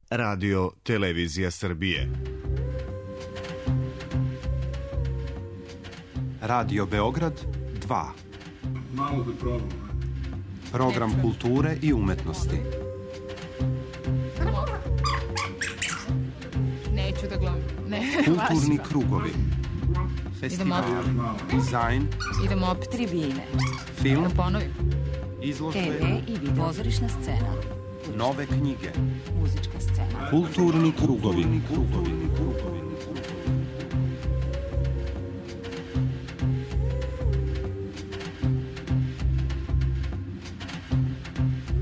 Radio Televizija Srbije. Radio Beograd 2. Malo da probam. Program kulture i umetnosti. Neću da gledam. Kulturni krugovi. Festival, dizajn. Idemo opet. Tribine. Film. Da ponovim. Izložbe. TV i video. Pozorišna scena. Nove knjige. Muzička scena. Kulturni krugovi.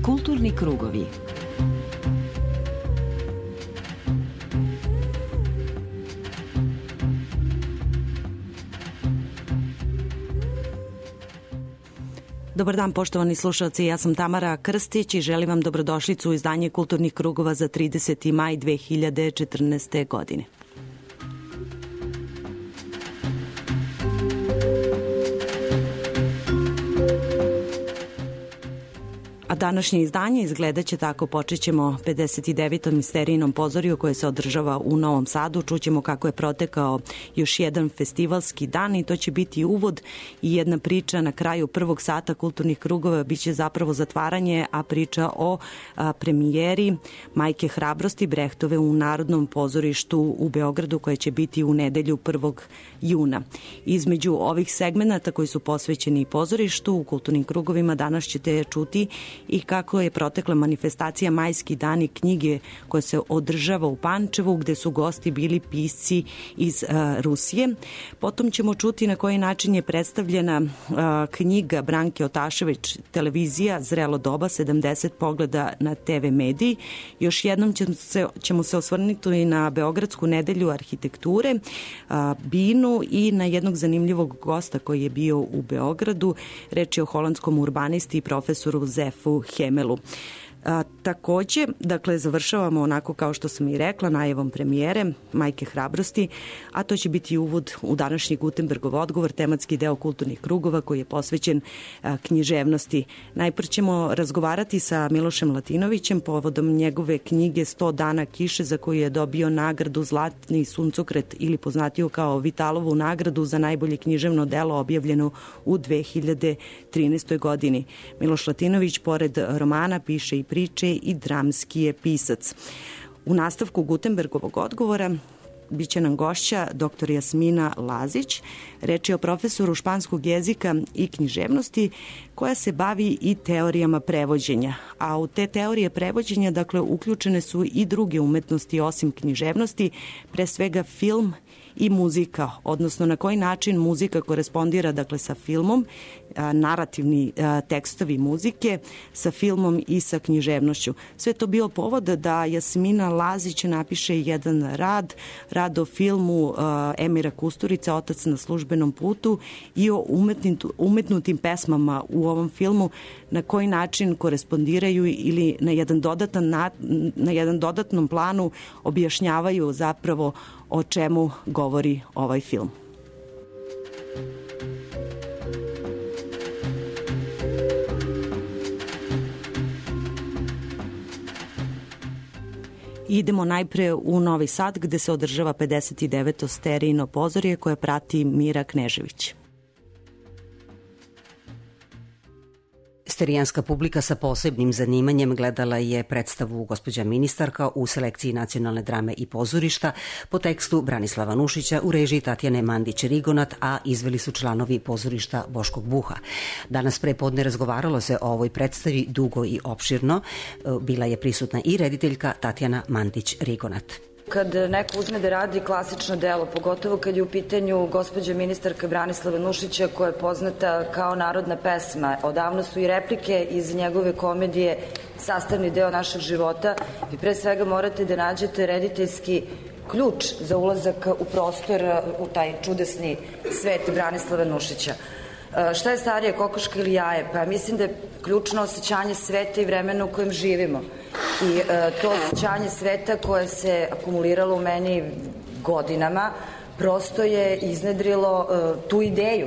Kulturni krugovi. Dobar dan, poštovani slušalci, ja sam Tamara Krstić i želim vam dobrodošlicu u izdanje Kulturnih krugova za 30. maj 2014. godine. A današnje izdanje izgledat će tako. Počet ćemo 59. misterijnom pozoriju koje se održava u Novom Sadu. Čućemo kako je protekao još jedan festivalski dan i to će biti uvod i jedna priča na kraju prvog sata kulturnih krugova. Biće zapravo zatvaranje, a priča o premijeri Majke hrabrosti Brehtove u Narodnom pozorištu u Beogradu koja će biti u nedelju 1. juna. Između ovih segmenata koji su posvećeni pozorištu u kulturnim krugovima danas ćete čuti i kako je protekla manifestacija Majski dani knjige koja se održava u Pančevu gde su gosti bili pisci iz Rusije. Potom ćemo čuti na koji način je predstavljena knjiga Branke Otašević Televizija Zrelo doba 70 pogleda na TV mediji. Još jednom ćemo se osvrnuti i na Beogradsku nedelju arhitekture, Binu i na jednog zanimljivog gosta koji je bio u Beogradu. Reč je o holandskom urbanisti i profesoru Zefu Hemelu. Takođe, dakle, završavamo onako kao što sam i rekla, najavom premijere Majke hrabrosti, a to će biti uvod u današnji Gutenbergov odgovor, tematski deo kulturnih krugova koji je posvećen književnosti. Najpre ćemo razgovarati sa Milošem Latinovićem povodom njegove knjige 100 dana kiše za koju je dobio nagradu Zlatni suncokret ili poznatiju kao Vitalovu nagradu za najbolje književno delo objavljeno u 2013. godini. Miloš Latinović pored romana piše i priče i dramski je pisac. U nastavku Gutenbergovog odgovora biće nam gošća dr. Jasmina Lazić. Reč je o profesoru španskog jezika i književnosti koja se bavi i teorijama prevođenja. A u te teorije prevođenja, dakle, uključene su i druge umetnosti osim književnosti, pre svega film i muzika, odnosno na koji način muzika korespondira, dakle, sa filmom, narativni tekstovi muzike sa filmom i sa književnošću. Sve to bio povod da Jasmina Lazić napiše jedan rad o filmu Emira Kusturice Otac na službenom putu i o umetnutim pesmama u ovom filmu, na koji način korespondiraju ili na jedan dodatnom planu objašnjavaju zapravo o čemu govori ovaj film. Idemo najpre u Novi Sad gde se održava 59. sterijino pozorje koje prati Mira Knežević. Sterijanska publika sa posebnim zanimanjem gledala je predstavu Gospođa ministarka u selekciji Nacionalne drame i pozorišta po tekstu Branislava Nušića u režiji Tatjane Mandić-Rigonat, a izveli su članovi pozorišta Boškog Buha. Danas pre podne razgovaralo se o ovoj predstavi dugo i opširno. Bila je prisutna i rediteljka Tatjana Mandić-Rigonat. Kad neko uzme da radi klasično delo, pogotovo kad je u pitanju Gospođa ministarka Branislava Nušića koja je poznata kao narodna pesma, odavno su i replike iz njegove komedije sastavni deo našeg života, vi pre svega morate da nađete rediteljski ključ za ulazak u prostor, u taj čudesni svet Branislava Nušića. Šta je starije, kokoška ili jaje? Pa mislim da je ključno osjećanje sveta i vremena u kojem živimo. I to osjećanje sveta koje se akumuliralo u meni godinama prosto je iznedrilo tu ideju.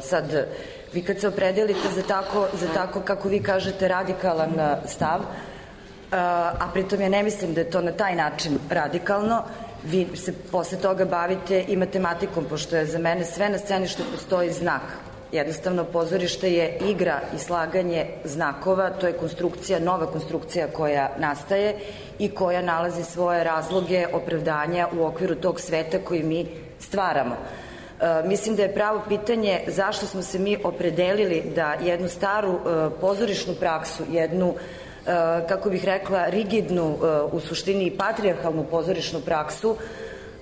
Sad, vi kad se opredelite za tako, kako vi kažete, radikalan stav, a pritom ja ne mislim da je to na taj način radikalno. Vi se posle toga bavite i matematikom, pošto je za mene sve na sceni što postoji znak. Jednostavno, pozorište je igra i slaganje znakova, to je konstrukcija, nova konstrukcija koja nastaje i koja nalazi svoje razloge, opravdanja u okviru tog sveta koji mi stvaramo. Mislim da je pravo pitanje zašto smo se mi opredelili da jednu staru pozorišnu praksu, jednu, kako bih rekla, rigidnu, u suštini i patrijarhalnu pozorišnu praksu,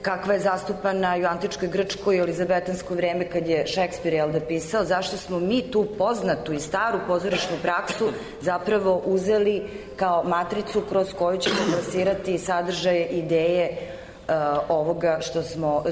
kakva je zastupana i u antičkoj Grčkoj i elizabetansko vreme kad je Šekspir pisao, zašto smo mi tu poznatu i staru pozorišnu praksu zapravo uzeli kao matricu kroz koju ćemo plasirati sadržaje, ideje ovoga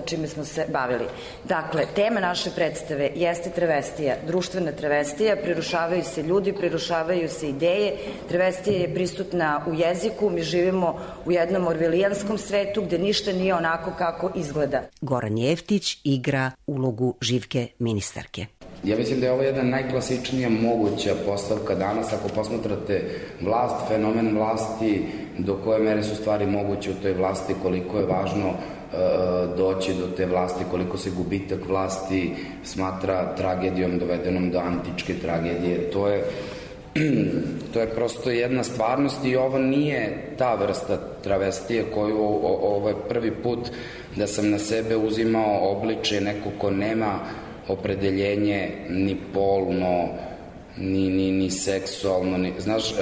čime smo se bavili. Dakle, tema naše predstave jeste travestija, društvena travestija, prerušavaju se ljudi, prerušavaju se ideje, travestija je prisutna u jeziku, mi živimo u jednom orvelijanskom svetu gde ništa nije onako kako izgleda. Goran Jeftić igra ulogu Živke ministarke. Ja mislim da je ovo jedna najklasičnija moguća postavka danas. Ako posmatrate vlast, fenomen vlasti, do koje mere su stvari moguće u toj vlasti, koliko je važno doći do te vlasti, koliko se gubitak vlasti smatra tragedijom dovedenom do antičke tragedije. To je prosto jedna stvarnost i ovo nije ta vrsta travestije koju ovo je prvi put da sam na sebe uzimao obličje neko ko nema opredeljenje ni polno, ni seksualno. Znaš,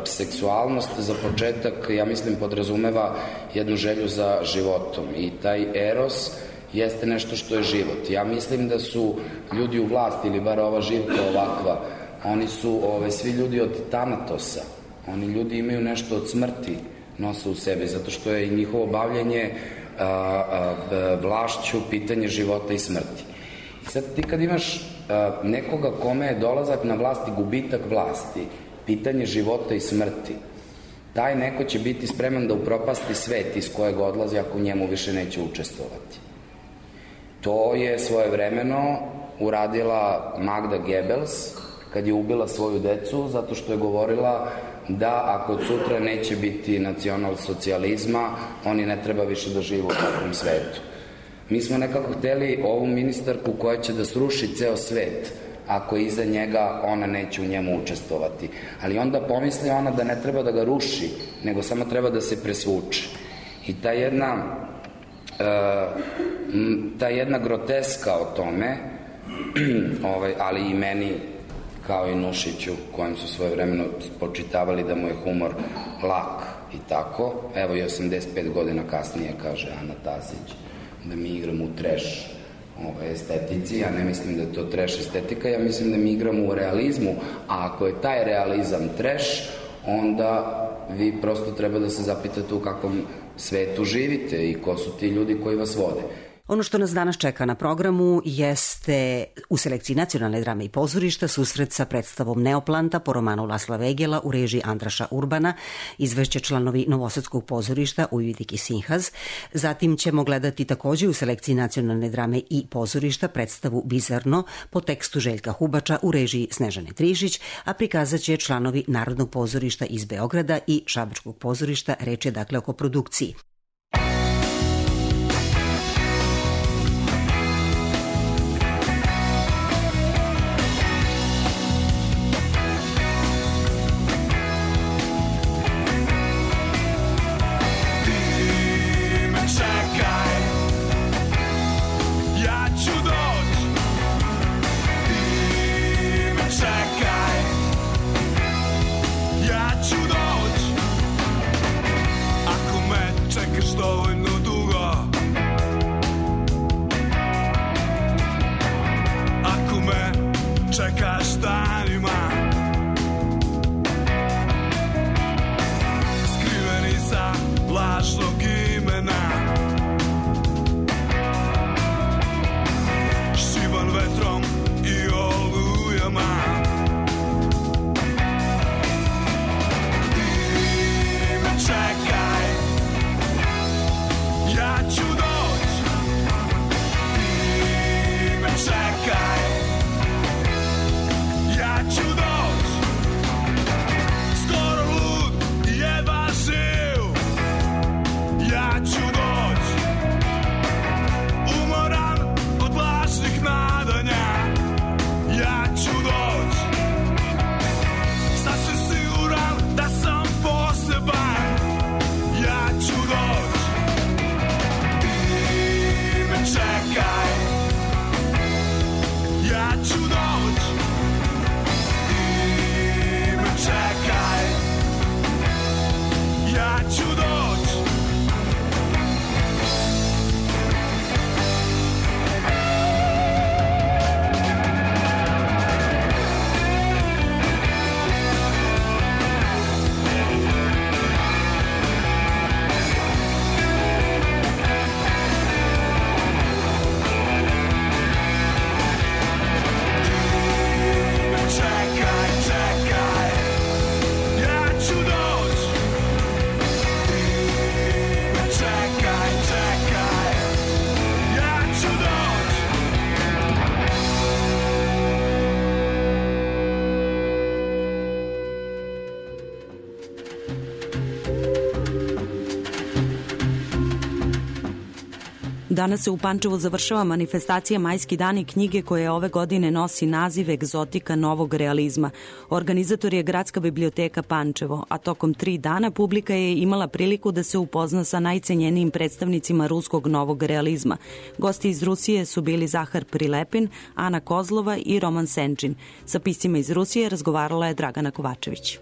seksualnost za početak, ja mislim, podrazumeva jednu želju za životom i taj eros jeste nešto što je život. Ja mislim da su ljudi u vlasti, ili bar ova Živka ovakva, oni su svi ljudi od Tanatosa. Oni ljudi imaju nešto od smrti, nose u sebi, zato što je i njihovo bavljenje vlašću pitanje života i smrti. I sad ti kad imaš nekoga kome je dolazak na vlast i gubitak vlasti, pitanje života i smrti, taj neko će biti spreman da upropasti svet iz kojeg odlazi ako u njemu više neće učestvovati. To je svojevremeno uradila Magda Goebbels kad je ubila svoju decu zato što je govorila da ako od sutra neće biti nacionalsocijalizma, oni ne treba više da žive u takvom svetu. Mi smo nekako hteli ovu ministarku koja će da sruši ceo svet, ako iza njega ona neće u njemu učestvovati. Ali onda pomisli ona da ne treba da ga ruši, nego samo treba da se presvuče. I ta jedna groteska o tome, ali i meni, kao i Nušiću, kojem su svojevremeno spočitavali da mu je humor lak i tako, evo i 85 godina kasnije, kaže Ana Tasić, da mi igramo u trash estetici. Ja ne mislim da je to trash estetika, ja mislim da mi igramo u realizmu, a ako je taj realizam trash, onda vi prosto treba da se zapitate u kakvom svetu živite i ko su ti ljudi koji vas vode. Ono što nas danas čeka na programu jeste u selekciji Nacionalne drame i pozorišta susret sa predstavom Neoplanta po romanu Lasla Vegela u režiji Andraša Urbana, izvešće članovi Novosadskog pozorišta Ujvidik i Sinhaz. Zatim ćemo gledati takođe u selekciji Nacionalne drame i pozorišta predstavu Bizarno po tekstu Željka Hubača u režiji Snežane Trišić, a prikazat će članovi Narodnog pozorišta iz Beograda i Šabačkog pozorišta, reč je dakle o koprodukciji. Čekaj Danas se u Pančevu završava manifestacija Majski dani knjige koja ove godine nosi naziv Egzotika novog realizma. Organizator je Gradska biblioteka Pančevo, a tokom 3 dana publika je imala priliku da se upozna sa najcenjenijim predstavnicima ruskog novog realizma. Gosti iz Rusije su bili Zahar Prilepin, Ana Kozlova i Roman Senčin. Sa piscima iz Rusije razgovarala je Dragana Kovačević.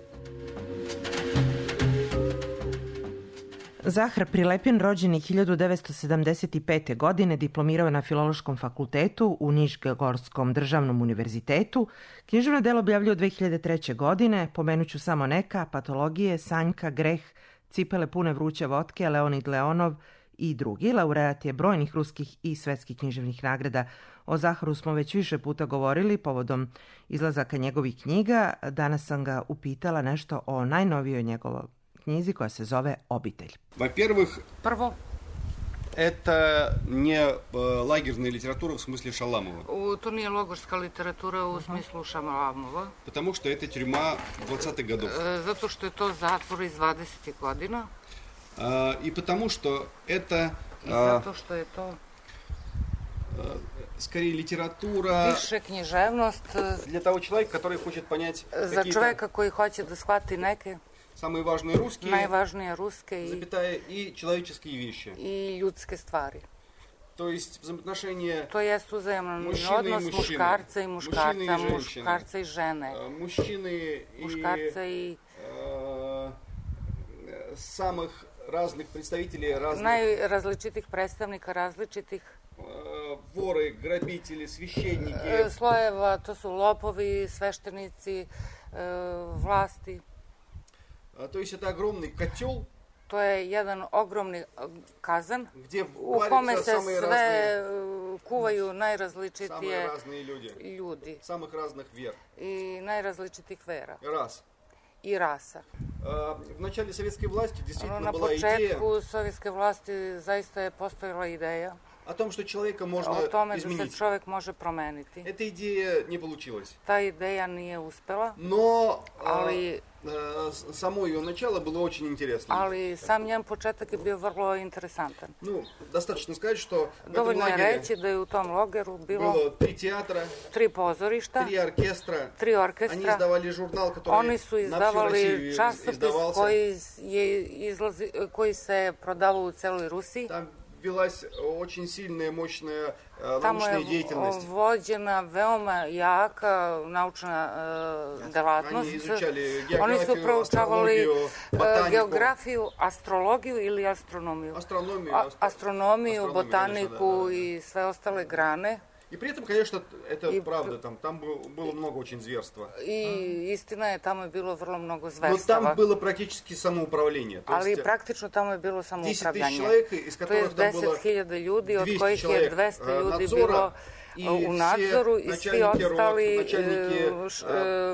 Zahar Prilepin, rođen je 1975. godine, diplomirao na Filološkom fakultetu u Nišgogorskom državnom univerzitetu. Književno delo objavljuje od 2003. godine, pomenuću samo neka: Patologije, Sanjka, Greh, Cipele pune vruće votke, Leonid Leonov i drugi. Laureat je brojnih ruskih i svetskih književnih nagrada. O Zaharu smo već više puta govorili povodom izlazaka njegovih knjiga. Danas sam ga upitala nešto o najnovijoj njegovoj knjizi koja se zove Obitelj. Во-первых, Prvo, это не лагерная литература в смысле Шаламова. to nije logorska literatura u smislu Šalamova, Потому что это тюрьма 20-х годов. zato što je to zatvor iz 20. godina И потому что это i zato što je to скорее литература više književnost для того человека, который хочет понять za какие-то čoveka koji hoće da shvati neke самые важные русские, najvažnije ruske запятая, и человеческие вещи. i ljudske stvari. То есть взаимоотношения To jest uzajeman Mušine i odnos mušine. muškarca i muškarca, Mušine i ženšine. muškarca i žene, мужчины и muškarca i самых разных представителей разных najrazličitih predstavnika različitih воры, грабители, священники. slojeva, to su lopovi, sveštenici, vlasti. То есть это огромный котел, To je jedan ogromni kazan где u kome варятся se самые sve разные, kuvaju самые najrazličitije разные люди, ljudi самых разных вер. i najrazličitih vera Раз. i rasa. В начале советской власти действительно Na была идея početku sovjetske vlasti zaista je postojala ideja о том, что человека можно o tome da se изменить. čovek može promeniti. Эта идея не получилась. Ta ideja nije uspela, Но ali, само ее начало было очень интересно. ali sam njen početak je bio vrlo interesantan. Ну, достаточно сказать, что в этом Dovoljno je лагере reći da je u tom logeru bilo было 3 театра, 3 pozorišta, 3 оркестра. 3 Они orkestra. издавали журнал, который Oni su на всю izdavali Россию časopis издавался. koji se prodavao u celoj Rusiji. Там велась очень сильная, мощная Tamo научная je деятельность. vođena veoma jaka naučna delatnost. Они изучали Oni su географию, proučavali астрологию, ботанику. geografiju, astrologiju ili astronomiju. Astronomiju, botaniku i sve ostale grane. И при этом, конечно, это правда, там было много очень зверства. I istina je, tamo je bilo vrlo mnogo Но zverstava. там было практически самоуправление. То Ali есть praktično tamo je bilo 10 000 samoupravljanje. человек, из To je которых там было 10.000 ljudi, od 200 kojih je человек 200 ljudi надзора, bilo и u все nadzoru i svi начальники ostali рот, начальники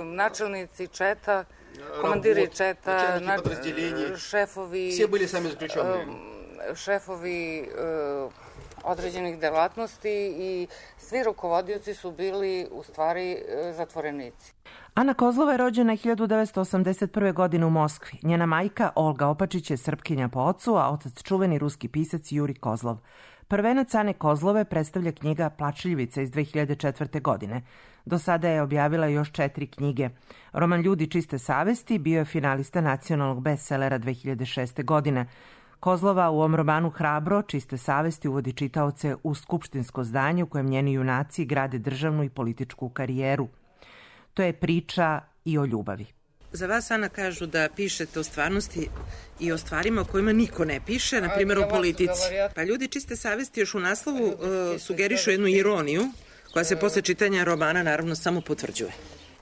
načelnici četa, komandiri četa, начальники подразделений, šefovi, все были сами заключенные. šefovi određenih delatnosti i svi rukovodioci su bili u stvari zatvorenici. Ana Kozlova je rođena 1981. godine u Moskvi. Njena majka Olga Opačić je Srpkinja po ocu, a otac čuveni ruski pisac Juri Kozlov. Prvenac Ane Kozlove predstavlja knjiga Plačljivica iz 2004. godine. Do sada je objavila još 4 knjige. Roman Ljudi čiste savesti bio je finalista nacionalnog bestsellera 2006. godine. Kozlova u ovom romanu Hrabro, čiste savesti uvodi čitaoce u skupštinsko zdanje u kojem njeni junaci grade državnu i političku karijeru. To je priča i o ljubavi. Za vas, Ana, kažu da pišete o stvarnosti i o stvarima o kojima niko ne piše, na primjer o politici. Pa ljudi čiste savesti još u naslovu sugerišu jednu ironiju, koja se posle čitanja romana naravno samo potvrđuje.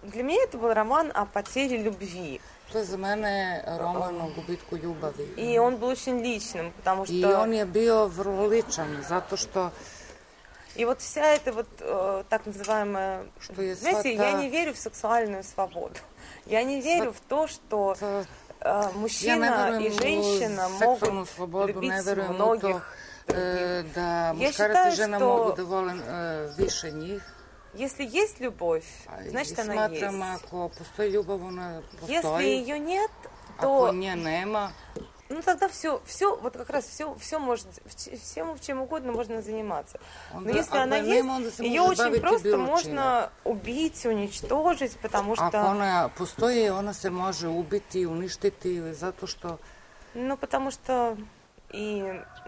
Для меня это был роман о потере любви. To je za mene roman o gubitku ljubavi. И он был очень личным, потому что... I on je bio vrlo ličan, zato što... И вот вся эта вот так называемая... Знаете, я не верю в сексуальную свободу. Я не верю в то, что мужчина и женщина могут любить многих. Da muškarac i žena mogu da vole više njih. Если есть любовь, значит она есть. Smatram, ako postoji ljubav, ona postoji. Если ее нет, Ako nje nema, Ну, тогда все, вот как раз все может, всем чем угодно можно заниматься. Но если она есть, ее очень просто можно убить, уничтожить, потому что... Ako ona postoji, ona se može ubiti, uništiti, zato što... Ну, потому что и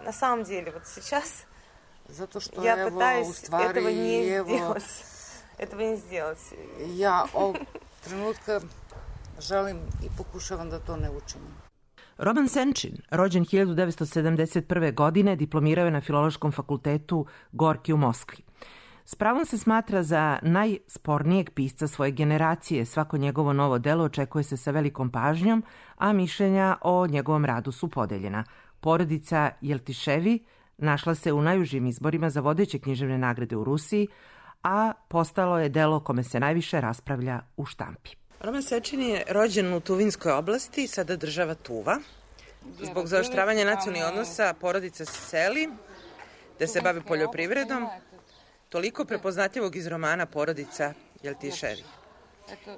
на самом деле вот сейчас zato što, я evo, пытаюсь u stvari, этого не evo, сделать. Этого не сделать. Ja ovog trenutka želim i pokušavam da to ne učinim. Roman Senčin, rođen 1971. godine, diplomirao je na Filološkom fakultetu Gorki u Moskvi. S pravom se smatra za najspornijeg pisca svoje generacije. Svako njegovo novo delo očekuje se sa velikom pažnjom, a mišljenja o njegovom radu su podeljena. Porodica Jeltiševi našla se u najužim izborima za vodeće književne nagrade u Rusiji, a postalo je delo kome se najviše raspravlja u štampi. Roman Senčin je rođen u Tuvinskoj oblasti, sada država Tuva. Zbog zaoštravanja nacionalnih odnosa porodica se seli, da se bavi poljoprivredom. Toliko prepoznatljivog iz romana Porodica Jeltiševi.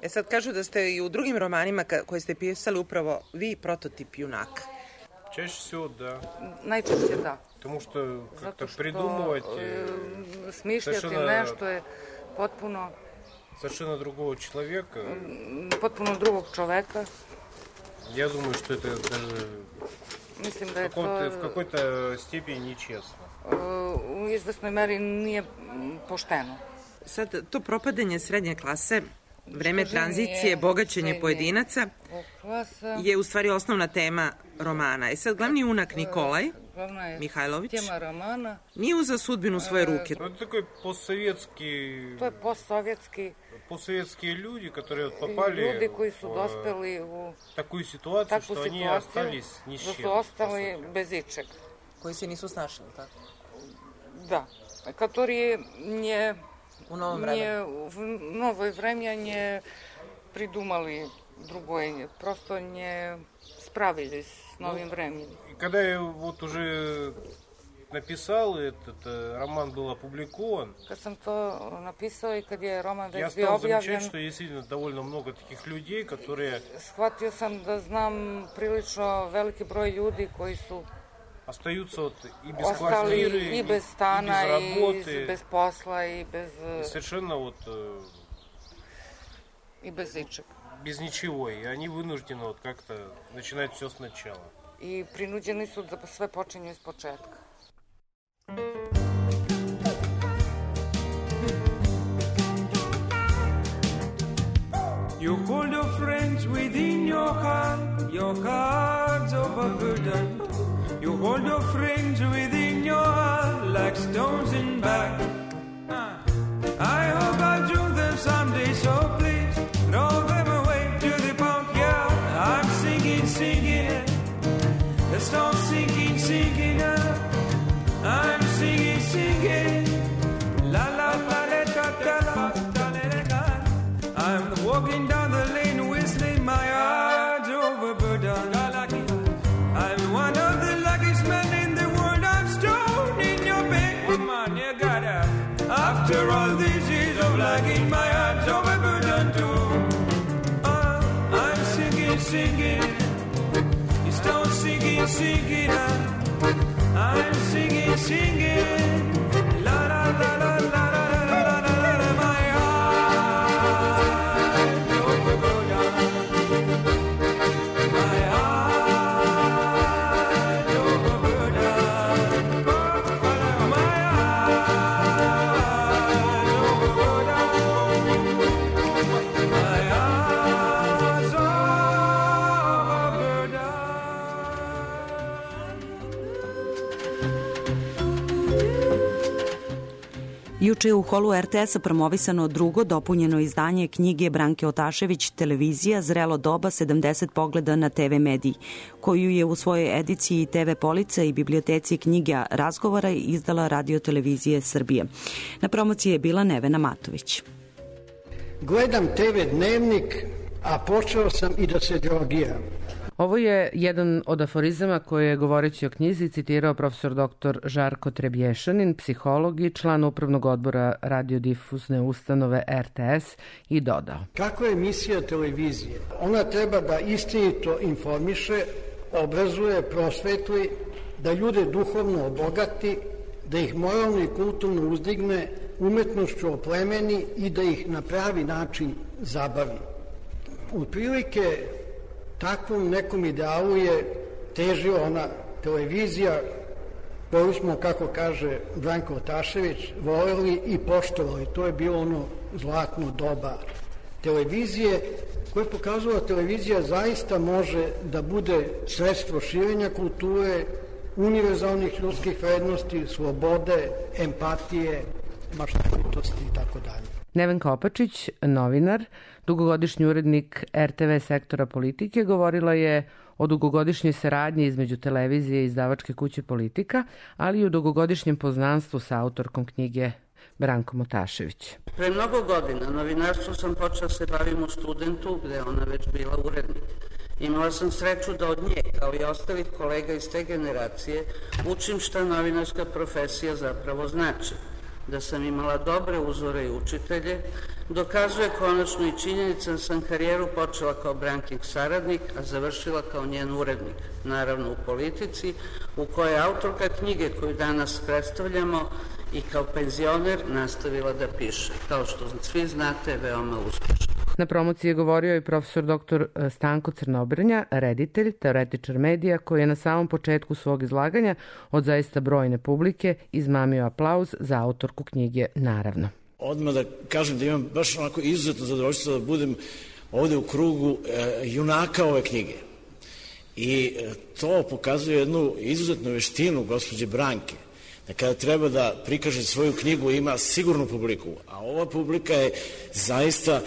Sad kažu da ste i u drugim romanima koje ste pisali upravo vi prototip junaka. Чаще всего, да. Najčešće da. Потому что как-то придумывать... Smišljati nešto je potpuno... Совершенно другого человека. Potpuno drugog čoveka. Я думаю, что это даже Mislim da je to... в какой-то степени нечестно. U izvesnoj meri nije pošteno. Sad, to propadanje srednje klase, vreme tranzicije, bogaćenje pojedinaca je u stvari osnovna tema romana. I sad glavni junak Nikolaj Mihajlović nije uzeo sudbinu u svoje ruke. To je такой постсоветский... To je postsovjetski... Постсоветские люди, которые попали ljudi koji su dospeli u такую ситуацию, что они остались ни с чем. Da su ostali bez ičeg. Koji se nisu snašli, tako? Da. Которые не... U novom vremenu. В новое время не придумали другое, просто не справились с новым временем. Когда я вот уже написал, этот роман был опубликован, Kad sam to napisao i kad je roman я već bio стал objavljen, замечать, что действительно довольно много таких людей, которые shvatio sam da znam prilično veliki broj ljudi koji su остаются вот и без ostali квартиры, i bez stana, и без работы, i bez posla, i bez... и совершенно вот i bez ičeg. без ничего, и они вынуждены вот как-то начинать все сначала. I prinuđeni su da sve počinju iz početka. You hold your friends within your heart's overburdened. You hold your friends within your heart like stones in back. I hope I'll join them someday, so please throw them away to the backyard. I'm singing it. The stone's sinking up. I'm singing. La la la la da da la da la da. I'm walking down the lane whistling, my heart's overburdened. I'm one of the luckiest men in the world. I'm stoned in your bed, woman, you gotta. After all these years of liking, my heart's overburdened too. I'm singing. You stone singing up. I'm singing. La la la la la la la la la la. My heart's overburdened. My heart's overburdened. My heart's overburdened. My heart's overburdened. Juče je u holu RTS-a promovisano drugo dopunjeno izdanje knjige Branke Otašević Televizija Zrelo doba 70 pogleda na TV mediji, koju je u svojoj ediciji TV police i biblioteci knjiga razgovora izdala Radio Televizije Srbije. Na promociji je bila Nevena Matović. Gledam TV dnevnik, a počeo sam i da se drogiram. Ovo je jedan od aforizama koje je govoreći o knjizi citirao profesor dr. Žarko Trebješanin, psiholog i član upravnog odbora radiodifuzne ustanove RTS i dodao. Kako je emisija televizije? Ona treba da istinito informiše, obrazuje, prosvetli, da ljude duhovno obogati, da ih moralno i kulturno uzdigne, umetnošću oplemeni i da ih na pravi način zabavi. Otprilike takvom nekom idealu je težila ona televizija koju smo, kako kaže Branko Otašević, voleli i poštovali. To je bilo ono zlatno doba televizije, koje je pokazala televizija zaista može da bude sredstvo širenja kulture, univerzalnih ljudskih vrednosti, slobode, empatije, maštovitosti i tako dalje. Nevenka Opačić, novinar, dugogodišnji urednik RTV sektora politike, govorila je o dugogodišnjoj saradnji između televizije i izdavačke kuće Politika, ali i o dugogodišnjem poznanstvu sa autorkom knjige Brankom Otašević. Pre mnogo godina novinarstvo sam počela se bavim u Studentu, gde je ona već bila urednik. Imala sam sreću da od nje, kao i ostalih kolega iz te generacije, učim šta novinarska profesija zapravo znači. Da sam imala dobre uzore i učitelje, dokazuje konačno i činjenica da sam karijeru počela kao Brankin saradnik, a završila kao njen urednik, naravno u Politici, u kojoj je autorka knjige koju danas predstavljamo i kao penzioner nastavila da piše, kao što svi znate, veoma uspešno. Na promociji je govorio i profesor dr. Stanko Crnobrnja, reditelj, teoretičar medija, koji je na samom početku svog izlaganja od zaista brojne publike izmamio aplauz za autorku knjige Naravno. Odmah da kažem da imam baš onako izuzetno zadovoljstvo da budem ovde u krugu junaka ove knjige. I to pokazuje jednu izuzetnu veštinu gospođe Branke, da kada treba da prikaže svoju knjigu ima sigurnu publiku, a ova publika je zaista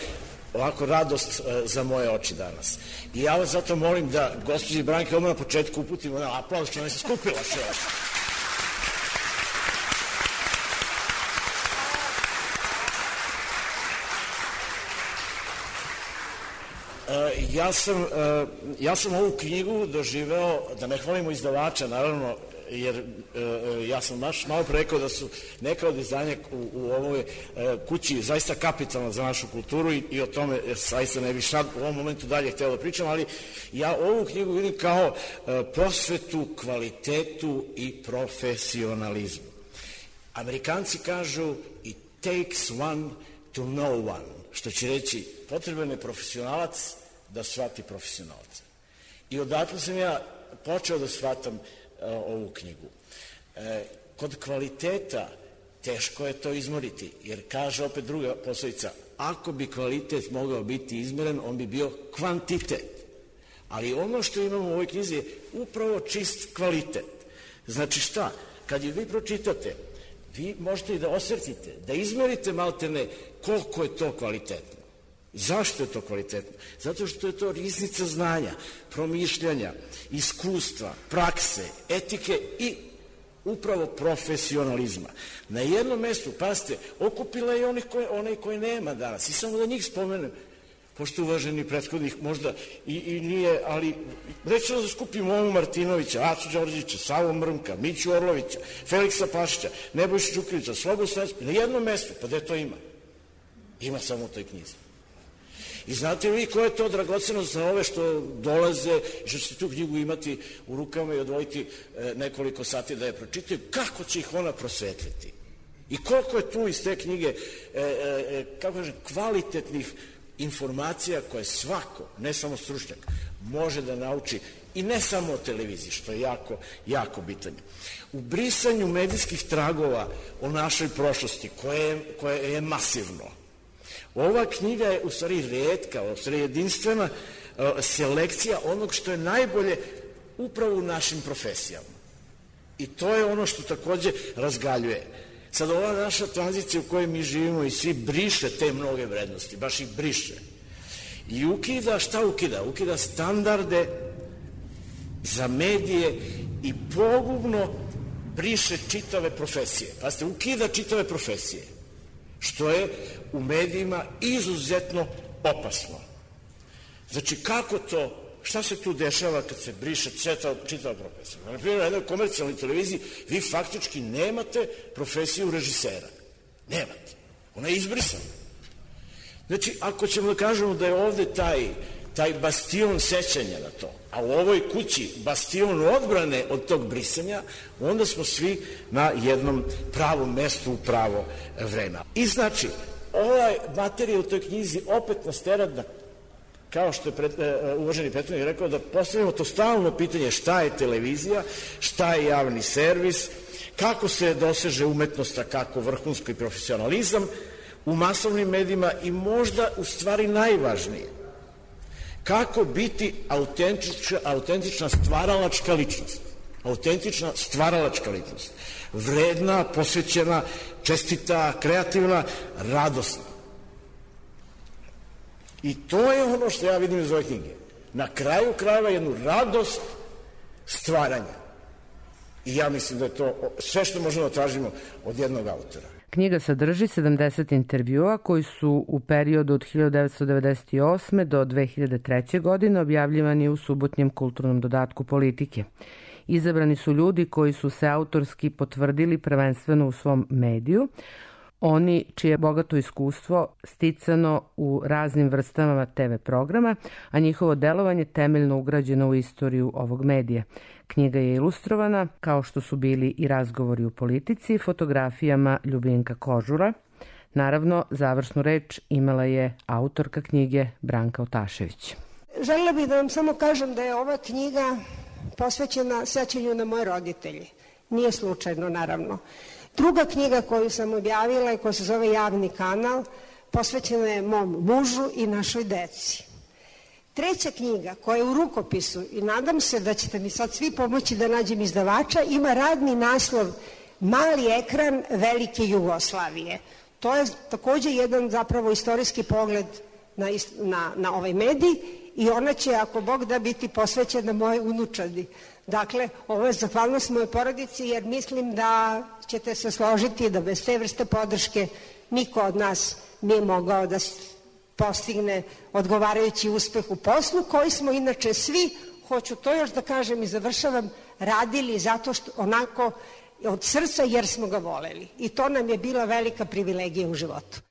ovako radost za moje oči danas. I ja vas zato molim da gospođi Branke odmah na početku uputimo aplauz što ona se skupila sve. Ja sam ovu knjigu doživeo, da ne hvalimo izdavača, naravno, jer ja sam malo pre rekao da su neka od izdanja u ovoj kući zaista kapitalna za našu kulturu i o tome zaista ne bih sad u ovom momentu dalje hteo da pričam, ali ja ovu knjigu vidim kao prosvetu, kvalitetu i profesionalizmu. Amerikanci kažu it takes one to know one, što će reći potreban je profesionalac da shvati profesionalca. I odatle sam ja počeo da shvatam ovu knjigu. Kod kvaliteta teško je to izmoriti, jer kaže opet druga poslovica, ako bi kvalitet mogao biti izmeren, on bi bio kvantitet. Ali ono što imamo u ovoj knjizi je upravo čist kvalitet. Znači šta? Kad je vi pročitate, vi možete i da osjetite, da izmerite maltene koliko je to kvalitetno. Zašto je to kvalitetno? Zato što je to riznica znanja, promišljanja, iskustva, prakse, etike i upravo profesionalizma. Na jednom mestu, pazite, okupila je onaj koji nema danas. I samo da njih spomenem, pošto uvaženi prethodnih možda i nije, ali recimo da skupimo Omu Martinovića, Acu Đorđevića, Savu Mrmka, Miću Orlovića, Feliksa Pašića, Nebojšu Đukanovića, Slobu Stojanovića, na jednom mestu, pa gde to ima? Ima samo u toj knjizi. I znate vi koja je to dragocenost za ove što dolaze i što ćete tu knjigu imati u rukama i odvojiti nekoliko sati da je pročitaju, kako će ih ona prosvetliti? I koliko je tu iz te knjige, kako kažem, kvalitetnih informacija koje svako, ne samo stručnjak, može da nauči i ne samo o televiziji, što je jako, jako bitanje. U brisanju medijskih tragova o našoj prošlosti, koje je masivno, ova knjiga je u stvari retka, u stvari jedinstvena selekcija onog što je najbolje upravo u našim profesijama. I to je ono što takođe razgaljuje. Sad ova naša tranzicija u kojoj mi živimo i svi briše te mnoge vrednosti, baš ih briše. I ukida, šta ukida? Ukida standarde za medije i pogubno briše čitave profesije. Pazite, ukida čitave profesije, što je u medijima izuzetno opasno. Znači, kako to, šta se tu dešava kad se briše čitava profesija? Na primjer, na jednoj komercijalnoj televiziji vi faktički nemate profesiju režisera. Nemate. Ona je izbrisana. Znači, ako ćemo da kažemo da je ovde taj bastion sećanja na to, a u ovoj kući bastion odbrane od tog brisanja, onda smo svi na jednom pravom mestu u pravo vreme. I znači, ovaj materija u toj knjizi opet nas tera da, kao što je uvaženi prethodnik rekao, da postavimo to stalno pitanje šta je televizija, šta je javni servis, kako se doseže umetnost, a kako vrhunski profesionalizam u masovnim medijima i možda u stvari najvažnije, kako biti autentična stvaralačka ličnost. Autentična stvaralačka ličnost. Vredna, posvećena, čestita, kreativna, radosna. I to je ono što ja vidim iz ove knjige. Na kraju krajeva jednu radost stvaranja. I ja mislim da je to sve što možemo da tražimo od jednog autora. Knjiga sadrži 70 intervjua koji su u periodu od 1998. do 2003. godine objavljivani u subotnjem kulturnom dodatku Politike. Izabrani su ljudi koji su se autorski potvrdili prvenstveno u svom mediju, oni čije bogato iskustvo sticano u raznim vrstama TV programa, a njihovo delovanje temeljno ugrađeno u istoriju ovog medija. Knjiga je ilustrovana, kao što su bili i razgovori u politici, fotografijama Ljubinka Kožura. Naravno, završnu reč imala je autorka knjige Branka Otašević. Želela bih da vam samo kažem da je ova knjiga posvećena sećanju na moje roditelje. Nije slučajno, naravno. Druga knjiga koju sam objavila i koja se zove Javni kanal posvećena je mom mužu i našoj deci. Treća knjiga koja je u rukopisu i nadam se da ćete mi sad svi pomoći da nađem izdavača, ima radni naslov Mali ekran velike Jugoslavije. To je takođe jedan zapravo istorijski pogled na ovaj medij i ona će, ako Bog da, biti posvećena moje unučadi. Dakle, ovo je zahvalnost moje porodici jer mislim da ćete se složiti da bez te vrste podrške niko od nas nije mogao da postigne odgovarajući uspeh u poslu koji smo inače svi, hoću to još da kažem i završavam, radili zato što onako od srca jer smo ga voleli. I to nam je bila velika privilegija u životu.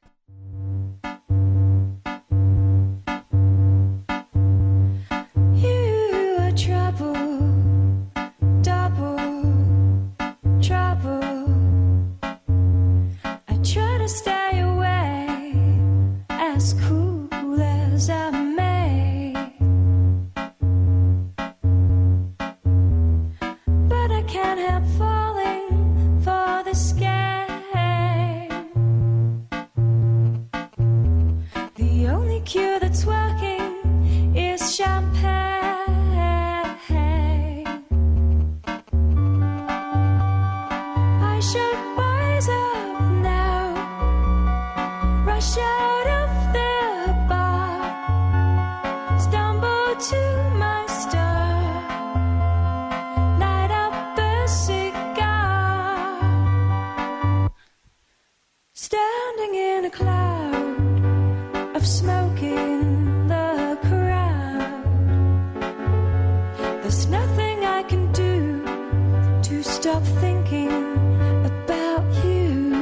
Stay away as cool as I may, but I can't help falling for this game. The only cure that's working is champagne. I should wise up now, rush out of the bar, stumble to my star, light up a cigar, standing in a cloud of smoke in the crowd. There's nothing I can do to stop thinking about you.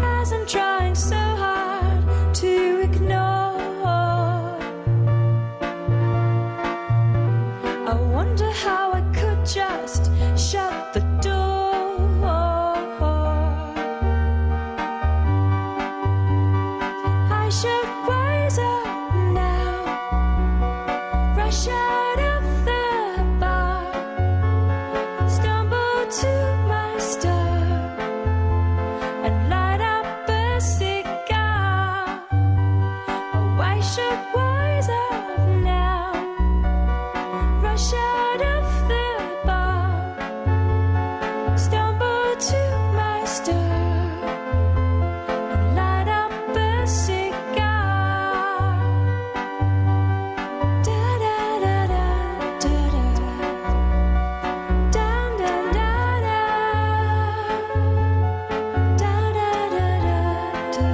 As I'm trying so hard to ignore, I wonder how I could just shut the door. I should wise up now, rush out of the bar, stumble to my star, and light up a cigar. Oh, I should wise up now, rush out of the bar, stumble to my star, and light up a cigar. Da da da da da da da da da da. Da da da da da.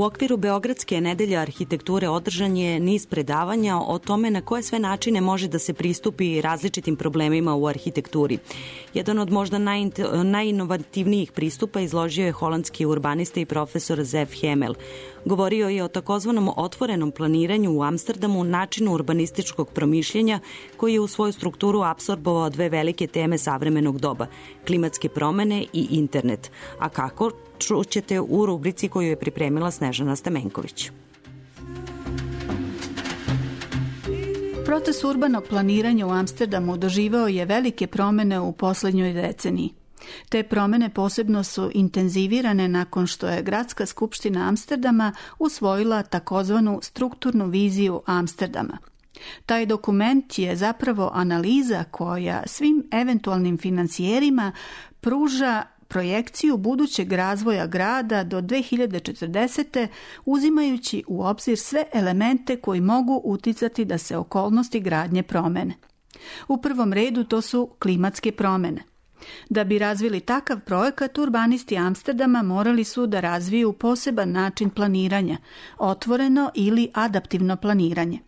U okviru Beogradske nedelje arhitekture održan je niz predavanja o tome na koje sve načine može da se pristupi različitim problemima u arhitekturi. Jedan od možda najinovativnijih pristupa izložio je holandski urbanista i profesor Zef Hemel. Govorio je o takozvanom otvorenom planiranju u Amsterdamu, načinu urbanističkog promišljenja koji je u svoju strukturu apsorbovao dve velike teme savremenog doba, klimatske promene i internet. A kako? Čućete u rubrici koju je pripremila Snežana Stamenković. Proces urbanog planiranja u Amsterdamu doživao je velike promene u poslednjoj deceniji. Te promene posebno su intenzivirane nakon što je Gradska skupština Amsterdama usvojila takozvanu strukturnu viziju Amsterdama. Taj dokument je zapravo analiza koja svim eventualnim financijerima pruža projekciju budućeg razvoja grada do 2040. uzimajući u obzir sve elemente koji mogu uticati da se okolnosti gradnje promene. U prvom redu to su klimatske promene. Da bi razvili takav projekat, urbanisti Amsterdama morali su da razviju poseban način planiranja, otvoreno ili adaptivno planiranje.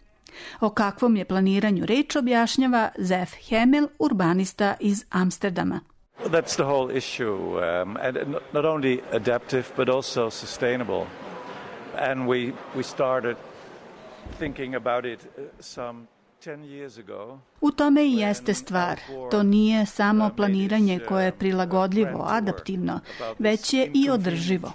O kakvom je planiranju reč objašnjava Zef Hemel, urbanista iz Amsterdama. That's the whole issue, and not only adaptive but also sustainable. And we started thinking about it some 10 years ago. U tome i jeste stvar. To nije samo planiranje koje je prilagodljivo, adaptivno, već je i održivo.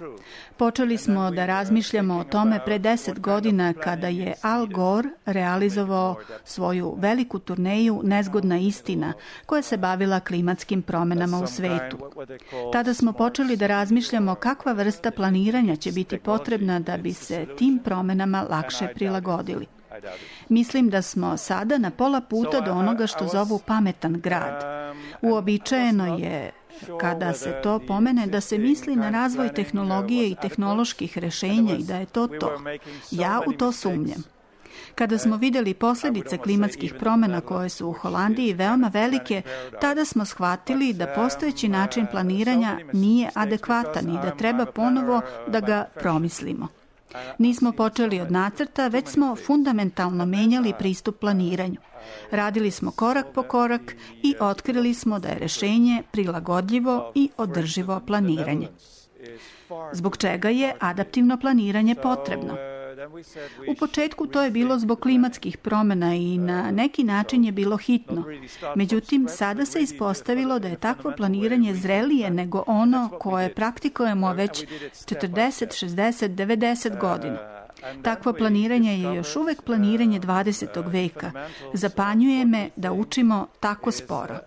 Počeli smo da razmišljamo o tome pre 10 godina kada je Al Gore realizovao svoju veliku turneju Nezgodna istina koja se bavila klimatskim promenama u svetu. Tada smo počeli da razmišljamo kakva vrsta planiranja će biti potrebna da bi se tim promenama lakše prilagodili. Mislim da smo sada na pola puta do onoga što zovu pametan grad. Uobičajeno je, kada se to pomene, da se misli na razvoj tehnologije i tehnoloških rešenja i da je to to. Ja u to sumnjam. Kada smo videli posljedice klimatskih promjena koje su u Holandiji veoma velike, tada smo shvatili da postojeći način planiranja nije adekvatan i da treba ponovo da ga promislimo. Nismo počeli od nacrta, već smo fundamentalno menjali pristup planiranju. Radili smo korak po korak i otkrili smo da je rešenje prilagodljivo i održivo planiranje. Zbog čega je adaptivno planiranje potrebno? U početku to je bilo zbog klimatskih promjena i na neki način je bilo hitno. Međutim, sada se ispostavilo da je takvo planiranje zrelije nego ono koje praktikujemo već 40, 60, 90 godina. Takvo planiranje je još uvek planiranje 20. veka. Zapanjuje me da učimo tako sporo.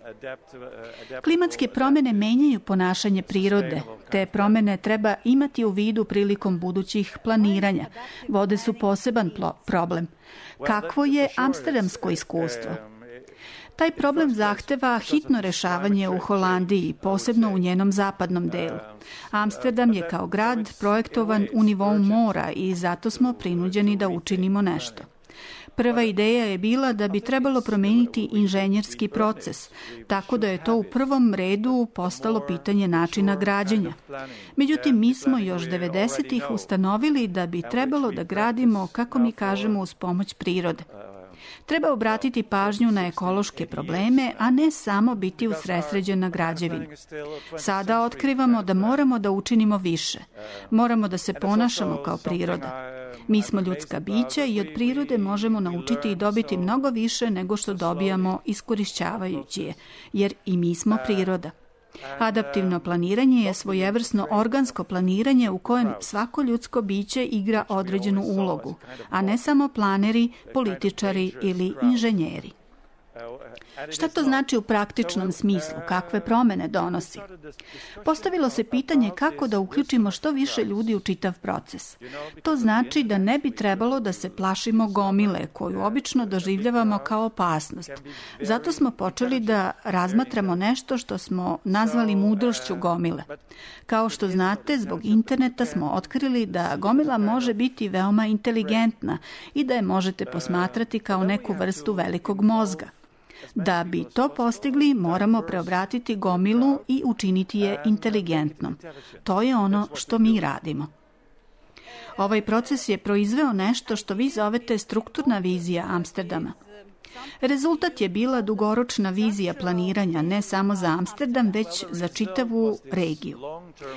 Klimatske promjene menjaju ponašanje prirode. Te promjene treba imati u vidu prilikom budućih planiranja. Vode su poseban problem. Kakvo je amsterdamsko iskustvo? Taj problem zahteva hitno rešavanje u Holandiji, posebno u njenom zapadnom delu. Amsterdam je kao grad projektovan u nivou mora i zato smo prinuđeni da učinimo nešto. Prva ideja je bila da bi trebalo promeniti inženjerski proces, tako da je to u prvom redu postalo pitanje načina građenja. Međutim, mi smo još 90-ih ustanovili da bi trebalo da gradimo, kako mi kažemo, uz pomoć prirode. Treba obratiti pažnju na ekološke probleme, a ne samo biti usredsređen na građevinu. Sada otkrivamo da moramo da učinimo više. Moramo da se ponašamo kao priroda. Mi smo ljudska bića i od prirode možemo naučiti i dobiti mnogo više nego što dobijamo iskorišćavajući je, jer i mi smo priroda. Adaptivno planiranje je svojevrsno organsko planiranje u kojem svako ljudsko biće igra određenu ulogu, a ne samo planeri, političari ili inženjeri. Šta to znači u praktičnom smislu? Kakve promene donosi? Postavilo se pitanje kako da uključimo što više ljudi u čitav proces. To znači da ne bi trebalo da se plašimo gomile, koju obično doživljavamo kao opasnost. Zato smo počeli da razmatramo nešto što smo nazvali mudrošću gomile. Kao što znate, zbog interneta smo otkrili da gomila može biti veoma inteligentna i da je možete posmatrati kao neku vrstu velikog mozga. Da bi to postigli, moramo preobratiti gomilu i učiniti je inteligentnom. To je ono što mi radimo. Ovaj proces je proizveo nešto što vi zovete strukturna vizija Amsterdama. Rezultat je bila dugoročna vizija planiranja ne samo za Amsterdam, već za čitavu regiju.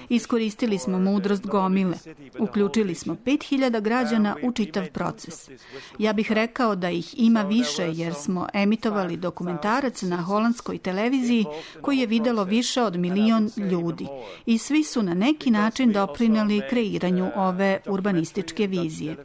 Iskoristili smo mudrost gomile. Uključili smo 5000 građana u čitav proces. Ja bih rekao da ih ima više jer smo emitovali dokumentarac na holandskoj televiziji koji je videlo više od 1 milion ljudi i svi su na neki način doprineli kreiranju ove urbanističke vizije.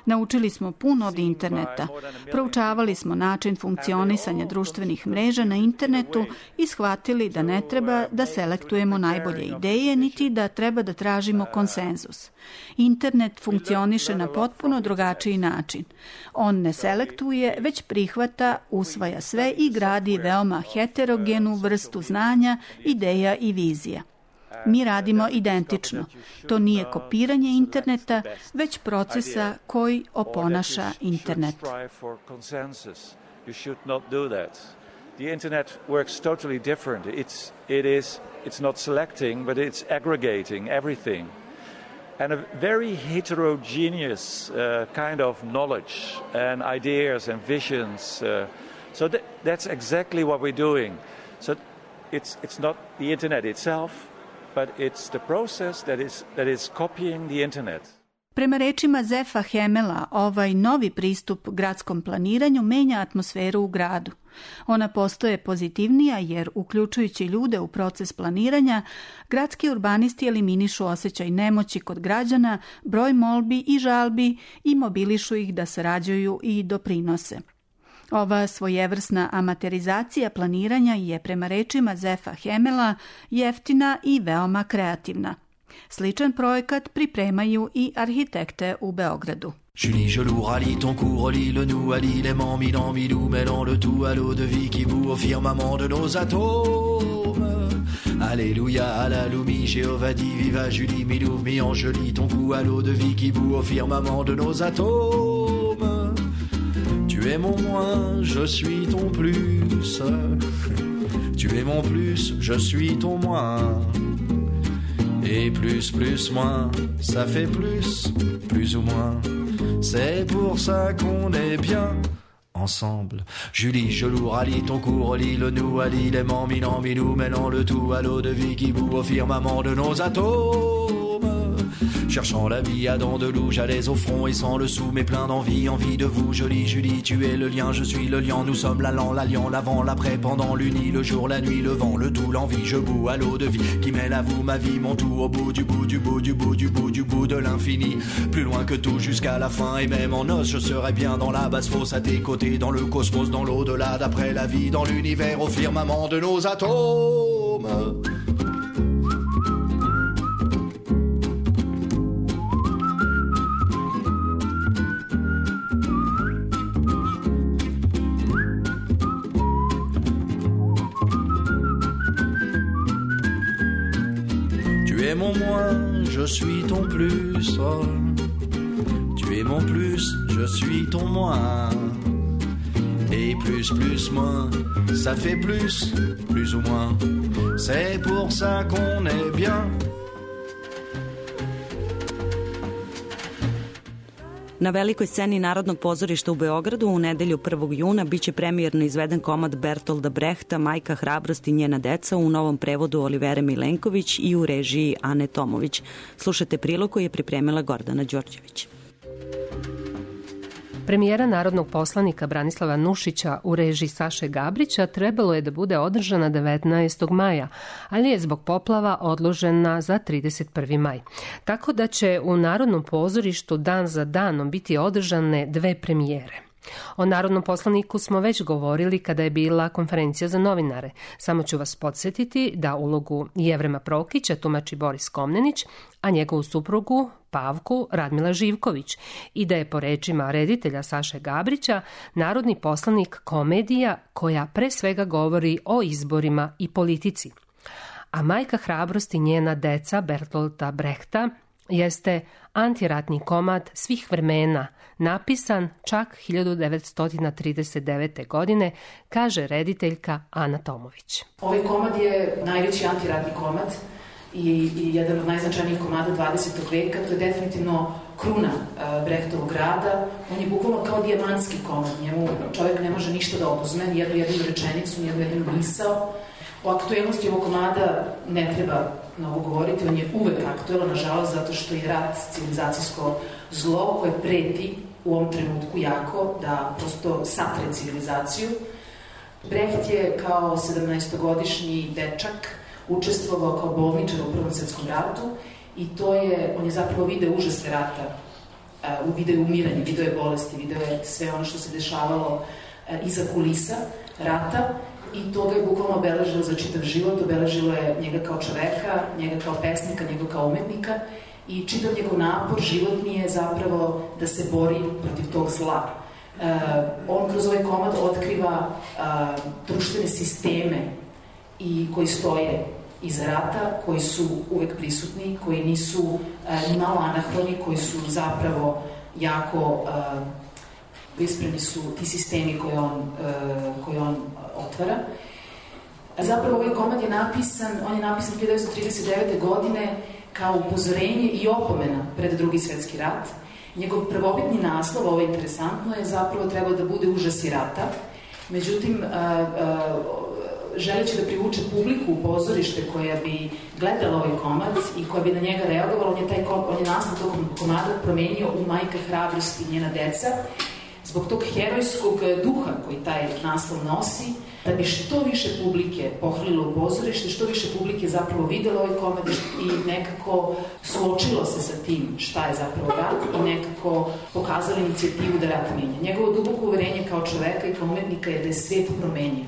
Naučili smo puno od interneta, proučavali smo način funkcionisanja društvenih mreža na internetu i shvatili da ne treba da selektujemo najbolje ideje, niti da treba da tražimo konsenzus. Internet funkcioniše na potpuno drugačiji način. On ne selektuje, već prihvata, usvaja sve i gradi veoma heterogenu vrstu znanja, ideja i vizija. Mi radimo identično. To nije kopiranje interneta, već procesa koji oponaša internet. You should not do that. The internet works totally different. It's not selecting, but it's aggregating everything. And a very heterogeneous kind of knowledge and ideas and visions. So that's exactly what we're doing. So it's not the internet itself, but it's the process that is copying the internet. Prema rečima Zefa Hemela, ovaj novi pristup gradskom planiranju menja atmosferu u gradu. Ona postaje pozitivnija jer, uključujući ljude u proces planiranja, gradski urbanisti eliminišu osjećaj nemoći kod građana, broj molbi i žalbi i mobilišu ih da sarađuju i doprinose. Ova svojevrsna amaterizacija planiranja je, prema rečima Zefa Hemela, jeftina i veoma kreativna. Sličan projekat pripremaju i arhitekte u Beogradu. Julie, Gelou, rallie ton cou, relie le nous, allie l'aimant, Milan, Milou, mêlant le tout à l'eau de vie qui bout au firmament de nos atomes. Alléluia, à la Loumi, Jéhovah dit, viva Julie, Milou, mi enjoli ton cou à l'eau de vie qui bout au firmament de nos atomes. Tu es mon moins, je suis ton plus. Tu es mon plus, je suis ton moins. Et plus, plus, moins, ça fait plus, plus ou moins. C'est pour ça qu'on est bien ensemble. Julie, Gelou, rallie ton cou, relie le nous, allie l'aimant, Milan, Milou, mêlant le tout à l'eau de vie qui bout au firmament de nos atomes. Cherchant la vie à dents de loup, j'allais au front et sans le sou, mais plein d'envie, envie de vous. Jolie Julie, tu es le lien, je suis le lion. Nous sommes l'allant, l'alliant, l'avant, l'après, pendant l'uni, le jour, la nuit, le vent, le tout, l'envie. Je boue à l'eau de vie qui mêle à vous ma vie, mon tout au bout du bout, du bout, du bout, du bout, du bout de l'infini. Plus loin que tout jusqu'à la fin, et même en os, je serai bien dans la basse fosse à tes côtés, dans le cosmos, dans l'au-delà, d'après la vie, dans l'univers, au firmament de nos atomes. Tu es mon moins, je suis ton plus. Tu es mon plus, je suis ton moins. Et plus, plus, moins, ça fait plus, plus ou moins. C'est pour ça qu'on est bien. Na velikoj sceni Narodnog pozorišta u Beogradu u nedelju 1. juna biće premijerno izveden komad Bertolda Brehta Majka hrabrost i njena deca u novom prevodu Olivere Milenković i u režiji Ane Tomović. Slušajte prilog koji je pripremila Gordana Đorđević. Premijera narodnog poslanika Branislava Nušića u režiji Saše Gabrića trebalo je da bude održana 19. maja, ali je zbog poplava odložena za 31. maj. Tako da će u Narodnom pozorištu dan za danom biti održane 2 premijere. O narodnom poslaniku smo već govorili kada je bila konferencija za novinare. Samo ću vas podsjetiti da ulogu Jevrema Prokića tumači Boris Komnenić, a njegovu suprugu Pavku Radmila Živković i da je po rečima reditelja Saše Gabrića narodni poslanik komedija koja pre svega govori o izborima i politici. A Majka hrabrost i njena deca Bertolda Brehta jeste antiratni komad svih vremena, napisan čak 1939. godine, kaže rediteljka Ana Tomović. Ovaj komad je najveći antiratni komad i jedan od najznačajnijih komada 20. veka. To je definitivno kruna Brechtovog rada. On je bukvalno kao dijamantski komad. Njemu čovjek ne može ništa da oduzme, ni jednu rečenicu, ni jednu misao. O aktuelnosti ovog komada ne treba mnogo govoriti, on je uvek aktuelan, nažalost, zato što je rat civilizacijsko zlo koje preti u ovom trenutku jako da prosto satre civilizaciju. Brecht je kao 17-godišnji dečak učestvovao kao bolničar u Prvom svetskom ratu i on je zapravo video užase rata, video je umiranje, video je bolesti, video je sve ono što se dešavalo iza kulisa rata i to ga je bukvalno obeležilo za čitav život, obeležilo je njega kao čoveka, njega kao pesnika, njega kao umetnika i čitav njegov napor životni je zapravo da se bori protiv tog zla. On kroz ovaj komad otkriva društvene sisteme i koji stoje iza rata, koji su uvek prisutni, koji nisu ni malo anahroni, koji su zapravo jako ispreni su ti sistemi koje on otvara. Zapravo ovaj komad je napisan 1939. godine kao upozorenje i opomena pred Drugi svetski rat. Njegov prvobitni naslov, ovo je interesantno, je zapravo trebao da bude Užasi rata. Međutim, želeći da privuče publiku u pozorište koja bi gledala ovaj komad i koja bi na njega reagovala, on je naslov tog komada promenio u Majka hrabrosti i njena deca, zbog tog herojskog duha koji taj naslov nosi, da bi što više publike pohrlilo u pozorište, što više publike zapravo videlo ovaj komad i nekako suočilo se sa tim šta je zapravo rat i nekako pokazalo inicijativu da rat menja. Njegovo duboko uverenje kao čoveka i kao umetnika je da je svet promenjiv.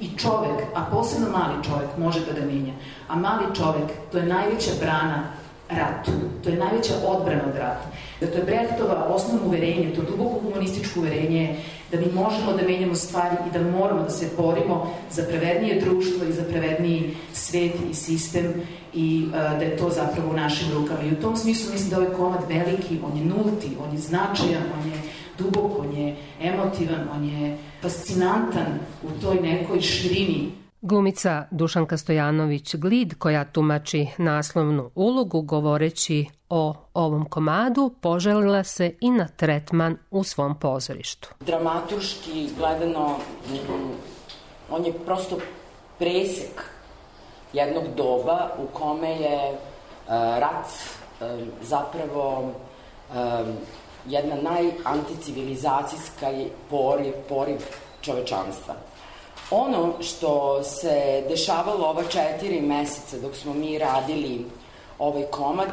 I čovek, a posebno mali čovek, može da ga menja. A mali čovek, to je najveća brana ratu. To je najveća odbrana od rata. To je Brechtova osnovno uverenje, to duboko humanističko uverenje da mi možemo da menjamo stvari i da moramo da se borimo za pravednije društvo i za pravedniji svet i sistem i da je to zapravo u našim rukama. I u tom smislu mislim da ovaj komad veliki, on je nulti, on je značajan, on je dubok, on je emotivan, on je fascinantan u toj nekoj širini. Glumica Dušanka Stojanović-Glid, koja tumači naslovnu ulogu govoreći o ovom komadu, poželila se i na tretman u svom pozorištu. Dramaturški gledano, on je prosto presek jednog doba u kome je rat zapravo jedna najanticivilizacijska poriv čovečanstva. Ono što se dešavalo ova 4 meseca dok smo mi radili ovaj komad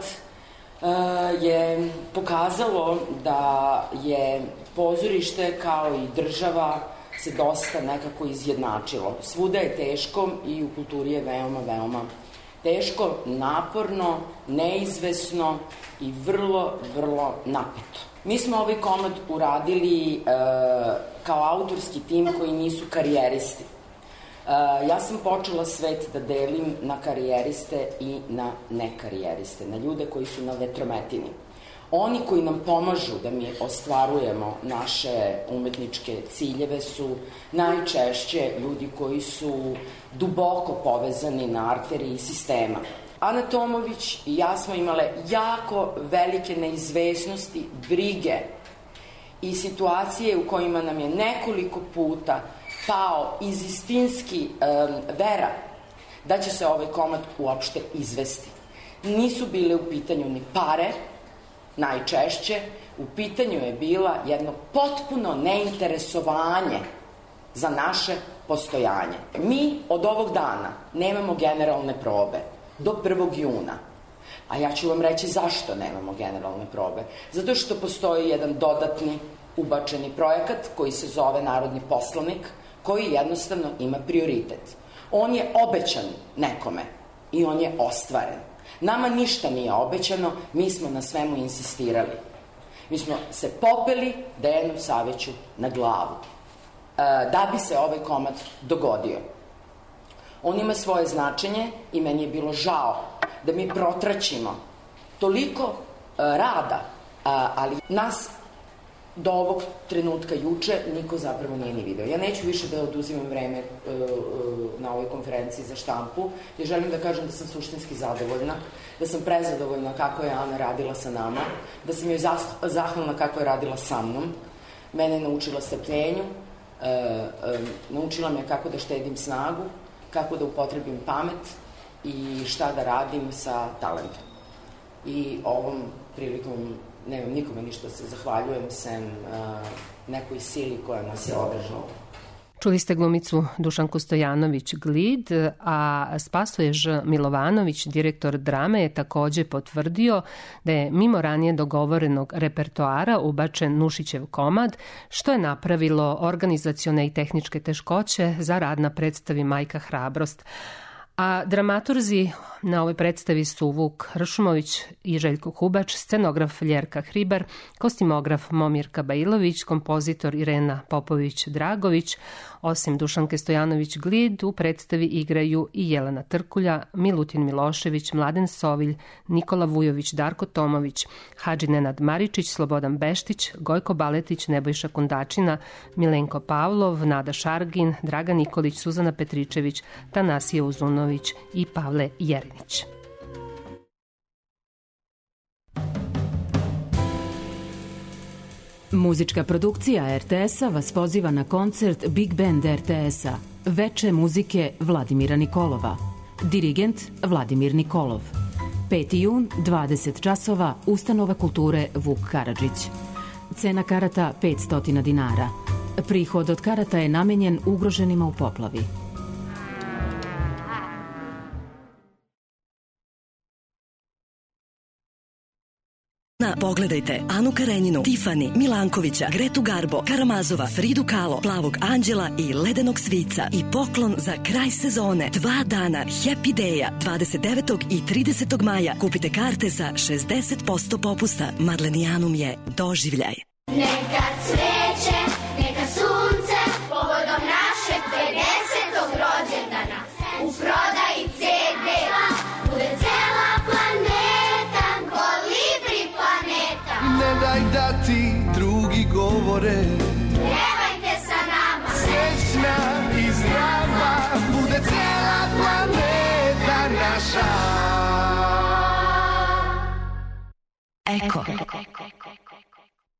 je pokazalo da je pozorište kao i država se dosta nekako izjednačilo. Svuda je teško i u kulturi je veoma, veoma teško, naporno, neizvesno i vrlo, vrlo napeto. Mi smo ovaj komad uradili kao autorski tim koji nisu karijeristi. Ja sam počela svet da delim na karijeriste i na nekarijeriste, na ljude koji su na vetrometini. Oni koji nam pomažu da mi ostvarujemo naše umetničke ciljeve su najčešće ljudi koji su duboko povezani na arteriji sistema. Ana Tomović i ja smo imale jako velike neizvesnosti, brige i situacije u kojima nam je nekoliko puta pao izistinski vera da će se ovaj komad uopšte izvesti. Nisu bile u pitanju ni pare, najčešće, u pitanju je bila jedno potpuno neinteresovanje za naše postojanje. Mi od ovog dana nemamo generalne probe do 1. juna. A ja ću vam reći zašto nemamo generalne probe. Zato što postoji jedan dodatni ubačeni projekat koji se zove Narodni poslanik, koji jednostavno ima prioritet. On je obećan nekome i on je ostvaren. Nama ništa nije obećano, mi smo na svemu insistirali. Mi smo se popeli Dejanu Saviću na glavu da bi se ovaj komad dogodio. On ima svoje značenje i meni je bilo žao da mi protraćimo toliko rada, ali nas do ovog trenutka juče niko zapravo nije ni video. Ja neću više da oduzimam vreme na ovoj konferenciji za štampu, jer želim da kažem da sam suštinski zadovoljna, da sam prezadovoljna kako je Ana radila sa nama, da sam joj zahvalna kako je radila sa mnom. Mene je naučila strpljenju, naučila me kako da štedim snagu, kako da upotrebim pamet i šta da radim sa talentom. I ovom prilikom nemam nikome ništa se zahvaljujem sem nekoj sili koja nas je održala. Čuli ste glumicu Dušanku Stojanović-Glid, a Spasoje Ž. Milovanović, direktor drame, je takođe potvrdio da je mimo ranije dogovorenog repertoara ubačen Nušićev komad, što je napravilo organizacione i tehničke teškoće za rad na predstavi Majka hrabrost. A dramaturzi na ovoj predstavi su Vuk Hršumović i Željko Hubač, scenograf Ljerka Hribar, kostimograf Momirka Bailović, kompozitor Irena Popović-Dragović. Osim Dušanke Stojanović-Glid, u predstavi igraju i Jelena Trkulja, Milutin Milošević, Mladen Sovilj, Nikola Vujović, Darko Tomović, Hadži Nenad Maričić, Slobodan Beštić, Gojko Baletić, Nebojša Kundačina, Milenko Pavlov, Nada Šargin, Draga Nikolić, Suzana Petričević, Tanasije Uzunović i Pavle Jerinić. Muzička produkcija RTS-a vas poziva na koncert Big Band RTS-a Veče muzike Vladimira Nikolova. Dirigent Vladimir Nikolov. 5. jun, 20 časova, Ustanova kulture Vuk Karadžić. Cena karata 500 dinara. Prihod od karata je namenjen ugroženima u poplavi. Pogledajte Anu Karenjinu, Tifani, Milankovića, Gretu Garbo, Karamazova, Fridu Kahlo, Plavog anđela i Ledenog svica. I poklon za kraj sezone. 2 dana Happy Day-a 29. i 30. maja. Kupite karte za 60% popusta. Madlenijanum je doživljaj. Neka cveće, neka sunce, povodom našeg 50. rođendana. U prodaji CD-a bude cela planeta, kolibri planeta. Ne daj da ti drugi govore, pevajte sa nama. Srećna i zdrava bude cela planeta naša. Eko.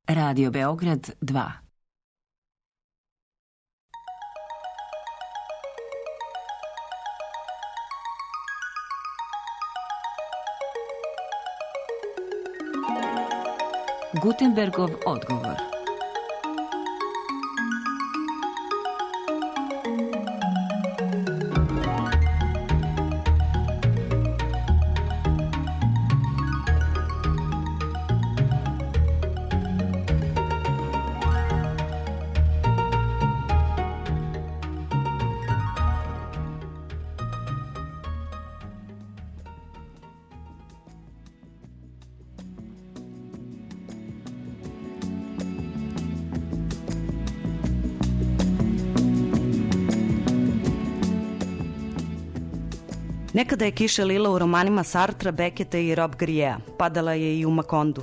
Radio Beograd 2. Gutenbergov odgovor. Nekada je kiša lila u romanima Sartra, Beketa i Rob Griea. Padala je i u Makondu.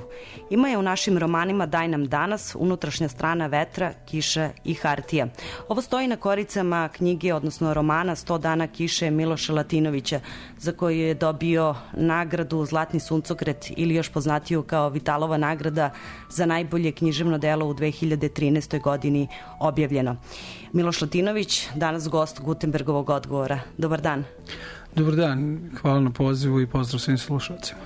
Ima je u našim romanima Daj nam danas, Unutrašnja strana vetra, Kiša i hartija. Ovo stoji na koricama knjige, odnosno romana 100 dana kiše Miloša Latinovića, za koju je dobio nagradu Zlatni suncokret ili još poznatiju kao Vitalova nagrada za najbolje književno delo u 2013. godini objavljeno. Miloš Latinović, danas gost Gutenbergovog odgovora. Dobar dan. Dobar dan, hvala na pozivu i pozdrav svim slušalcima.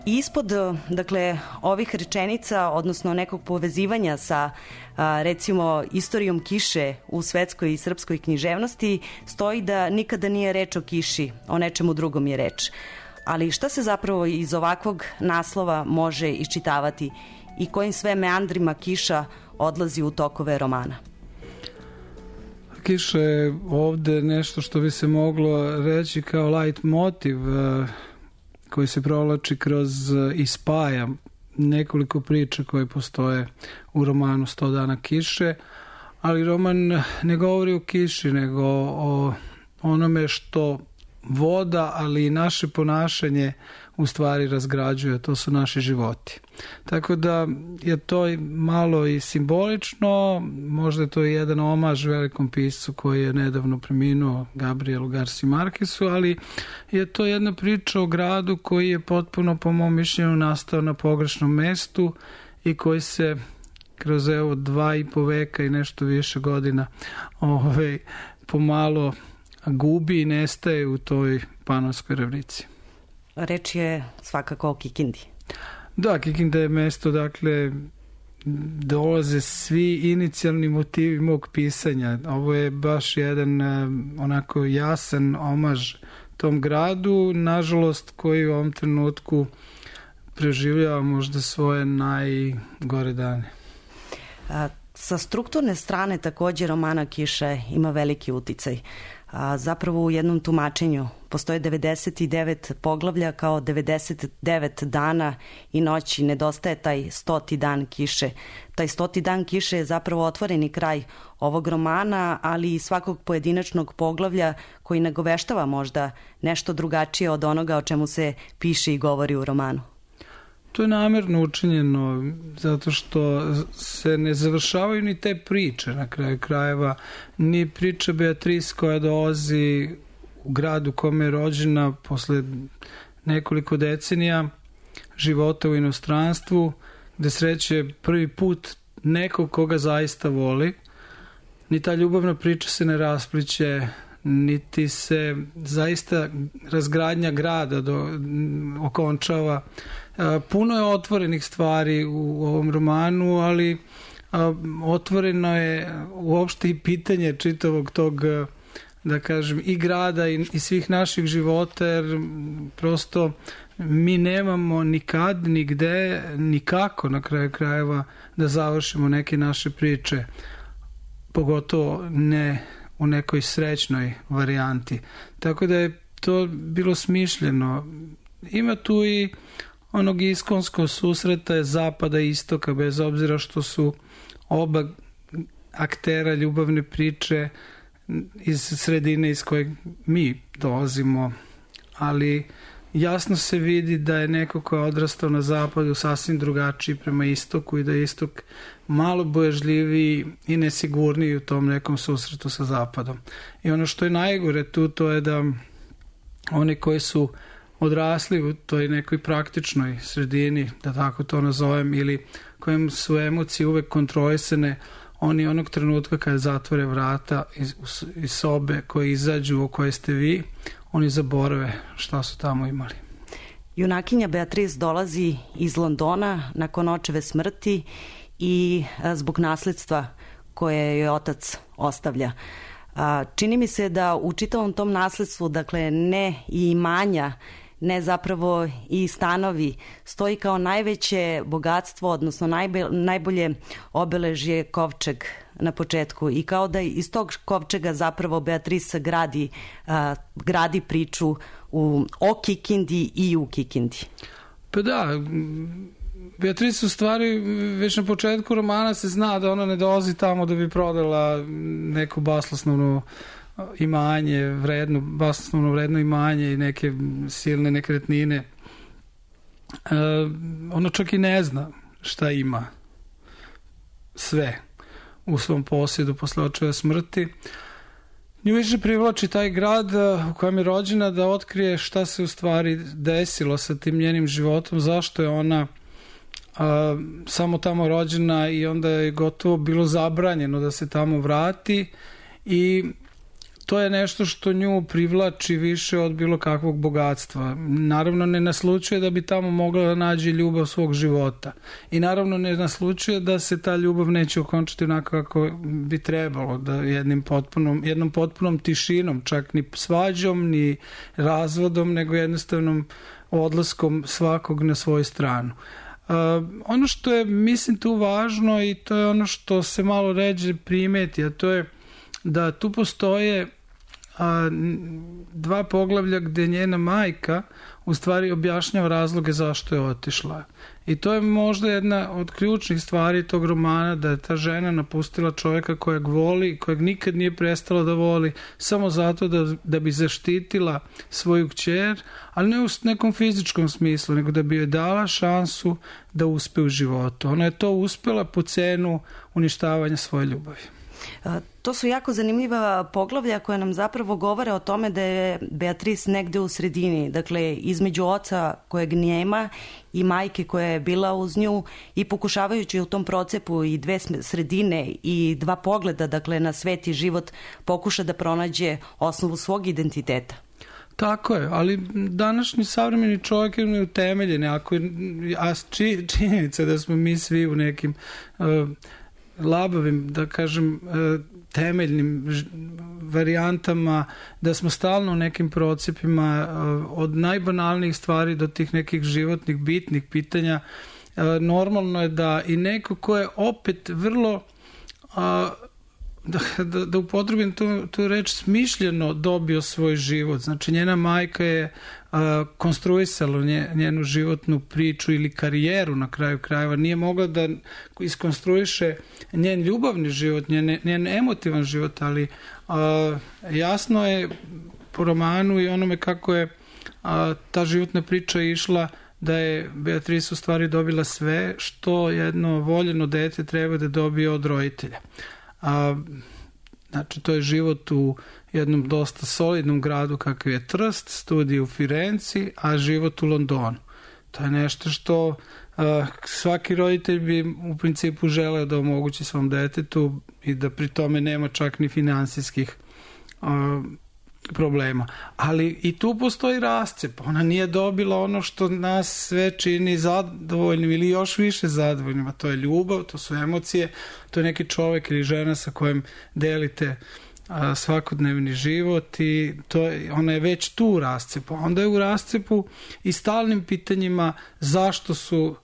Ispod, dakle, ovih rečenica, odnosno nekog povezivanja sa, recimo, istorijom kiše u svetskoj i srpskoj književnosti, stoji da nikada nije reč o kiši, o nečemu drugom je reč. Ali šta se zapravo iz ovakvog naslova može iščitavati i kojim sve meandrima kiša odlazi u tokove romana? Kiša je ovde nešto što bi se moglo reći kao light motiv koji se provlači kroz i spaja nekoliko priča koje postoje u romanu 100 dana kiše, ali roman ne govori o kiši, nego o onome što voda, ali i naše ponašanje u stvari razgrađuje, to su naši životi. Tako da je to malo i simbolično, možda je to jedan omaž velikom piscu koji je nedavno preminuo, Gabrielu Garci Markesu, ali je to jedna priča o gradu koji je potpuno, po mom mišljenju, nastao na pogrešnom mestu i koji se kroz 2,5 veka i nešto više godina pomalo gubi i nestaje u toj Panonskoj ravnici. Reč je svakako o Kikindi. Da, Kikinda je mesto, dakle, dolaze svi inicijalni motivi mog pisanja. Ovo je baš jedan onako jasan omaž tom gradu, nažalost, koji u ovom trenutku preživljava možda svoje najgore dane. Sa strukturne strane također romana Kiše ima veliki uticaj. Zapravo u jednom tumačenju postoje 99 poglavlja kao 99 dana i noći, nedostaje taj 100. dan kiše. Taj 100. dan kiše je zapravo otvoreni kraj ovog romana, ali i svakog pojedinačnog poglavlja koji nagoveštava možda nešto drugačije od onoga o čemu se piše i govori u romanu. To je namjerno učinjeno zato što se ne završavaju ni te priče na kraju krajeva, ni priča Beatrice koja dolazi u gradu kome je rođena posle nekoliko decenija života u inostranstvu, gde sreće prvi put nekog koga zaista voli. Ni ta ljubavna priča se ne raspliće, niti se zaista razgradnja grada okončava. Puno je otvorenih stvari u ovom romanu, ali otvoreno je uopšte i pitanje čitavog tog, da kažem, i grada i svih naših života, jer prosto mi nemamo nikad, nigde, nikako na kraju krajeva da završimo neke naše priče, pogotovo ne u nekoj srećnoj varijanti. Tako da je to bilo smišljeno. Ima tu i onog iskonskog susreta zapada i istoka, bez obzira što su oba aktera ljubavne priče iz sredine iz kojeg mi dolazimo, ali jasno se vidi da je neko ko je odrastao na zapadu sasvim drugačiji prema istoku i da je istok malo bojažljiviji i nesigurniji u tom nekom susretu sa zapadom. I ono što je najgore tu, to je da oni koji su odrasli u toj nekoj praktičnoj sredini, da tako to nazovem, ili kojim su emocije uvek kontrolisane, oni onog trenutka kada zatvore vrata iz sobe koje izađu u koje ste vi, oni zaborave šta su tamo imali. Junakinja Beatrice dolazi iz Londona nakon očeve smrti i zbog nasledstva koje joj otac ostavlja. Čini mi se da u čitavom tom nasledstvu, dakle ne i imanja, ne zapravo i stanovi, stoji kao najveće bogatstvo, odnosno najbolje obeležje kovčeg na početku i kao da iz tog kovčega zapravo Beatrice gradi priču o Kikindi i u Kikindi. Pa da, Beatrice u stvari već na početku romana se zna da ona ne dolazi tamo da bi prodala neko basnoslovno imanje, basnoslovno vredno imanje i neke silne nekretnine. Ona čak i ne zna šta ima sve u svom posjedu posle očeve smrti. Nju više privlači taj grad u kojem je rođena da otkrije šta se u stvari desilo sa tim njenim životom, zašto je ona samo tamo rođena i onda je gotovo bilo zabranjeno da se tamo vrati i to je nešto što nju privlači više od bilo kakvog bogatstva. Naravno ne naslučuje da bi tamo mogla da nađe ljubav svog života i naravno ne naslučuje da se ta ljubav neće okončati onako kako bi trebalo, da jednom potpunom tišinom, čak ni svađom ni razvodom, nego jednostavnom odlaskom svakog na svoju stranu. Ono što je, mislim, tu važno i to je ono što se malo ređe primeti, a to je da tu postoje 2 poglavlja gde njena majka u stvari objašnjava razloge zašto je otišla. I to je možda jedna od ključnih stvari tog romana, da je ta žena napustila čovjeka kojeg voli, kojeg nikad nije prestala da voli, samo zato da bi zaštitila svoju kćer, ali ne u nekom fizičkom smislu, nego da bi joj dala šansu da uspe u životu. Ona je to uspela po cenu uništavanja svoje ljubavi. To su jako zanimljiva poglavlja koja nam zapravo govore o tome da je Beatrice negde u sredini, dakle između oca kojeg nema i majke koja je bila uz nju, i pokušavajući u tom procepu i 2 sredine i 2 pogleda, dakle na svet i život, pokuša da pronađe osnovu svog identiteta. Tako je, ali današnji savremeni čovjek je neutemeljen, a činjenica da smo mi svi u nekim labavim, da kažem, temeljnim varijantama, da smo stalno u nekim procepima od najbanalnijih stvari do tih nekih životnih bitnih pitanja. Normalno je da i neko ko je opet vrlo da upotrebim tu reč, smišljeno dobio svoj život. Znači njena majka je konstruisala njenu životnu priču ili karijeru na kraju krajeva. Nije mogla da iskonstruiše njen ljubavni život, njen emotivan život, ali jasno je po romanu i onome kako je ta životna priča išla, da je Beatrice u stvari dobila sve što jedno voljeno dete treba da dobije od roditelja. Znači, to je život u jednom dosta solidnom gradu kakav je Trst, studij u Firenci, a život u Londonu. To je nešto što svaki roditelj bi u principu želeo da omogući svom detetu i da pri tome nema čak ni finansijskih problema. Ali i tu postoji rascep. Ona nije dobila ono što nas sve čini zadovoljnim ili još više zadovoljnim, a to je ljubav, to su emocije, to je neki čovjek ili žena sa kojim delite svakodnevni život i ona je već tu u rascepu. Onda je u rascepu i stalnim pitanjima zašto su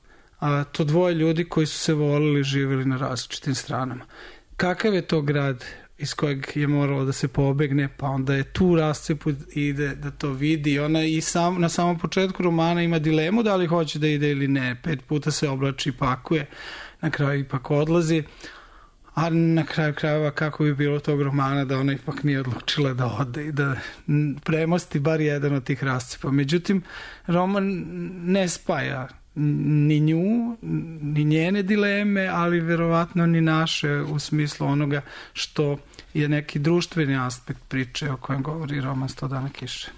to 2 ljudi koji su se volili živjeli na različitim stranama. Kakav je to grad iz kojeg je moralo da se pobegne, pa onda je tu rascepu ide da to vidi. Ona i na samom početku romana ima dilemu da li hoće da ide ili ne. 5 puta se oblači i pakuje, na kraju ipak odlazi, a na kraju krajeva kako bi bilo tog romana da ona ipak nije odlučila da ode i da premosti bar jedan od tih rascepa. Međutim, roman ne spaja ni nju, ni njene dileme, ali verovatno ni naše u smislu onoga što je neki društveni aspekt priče o kojem govori roman 100 dana kiše.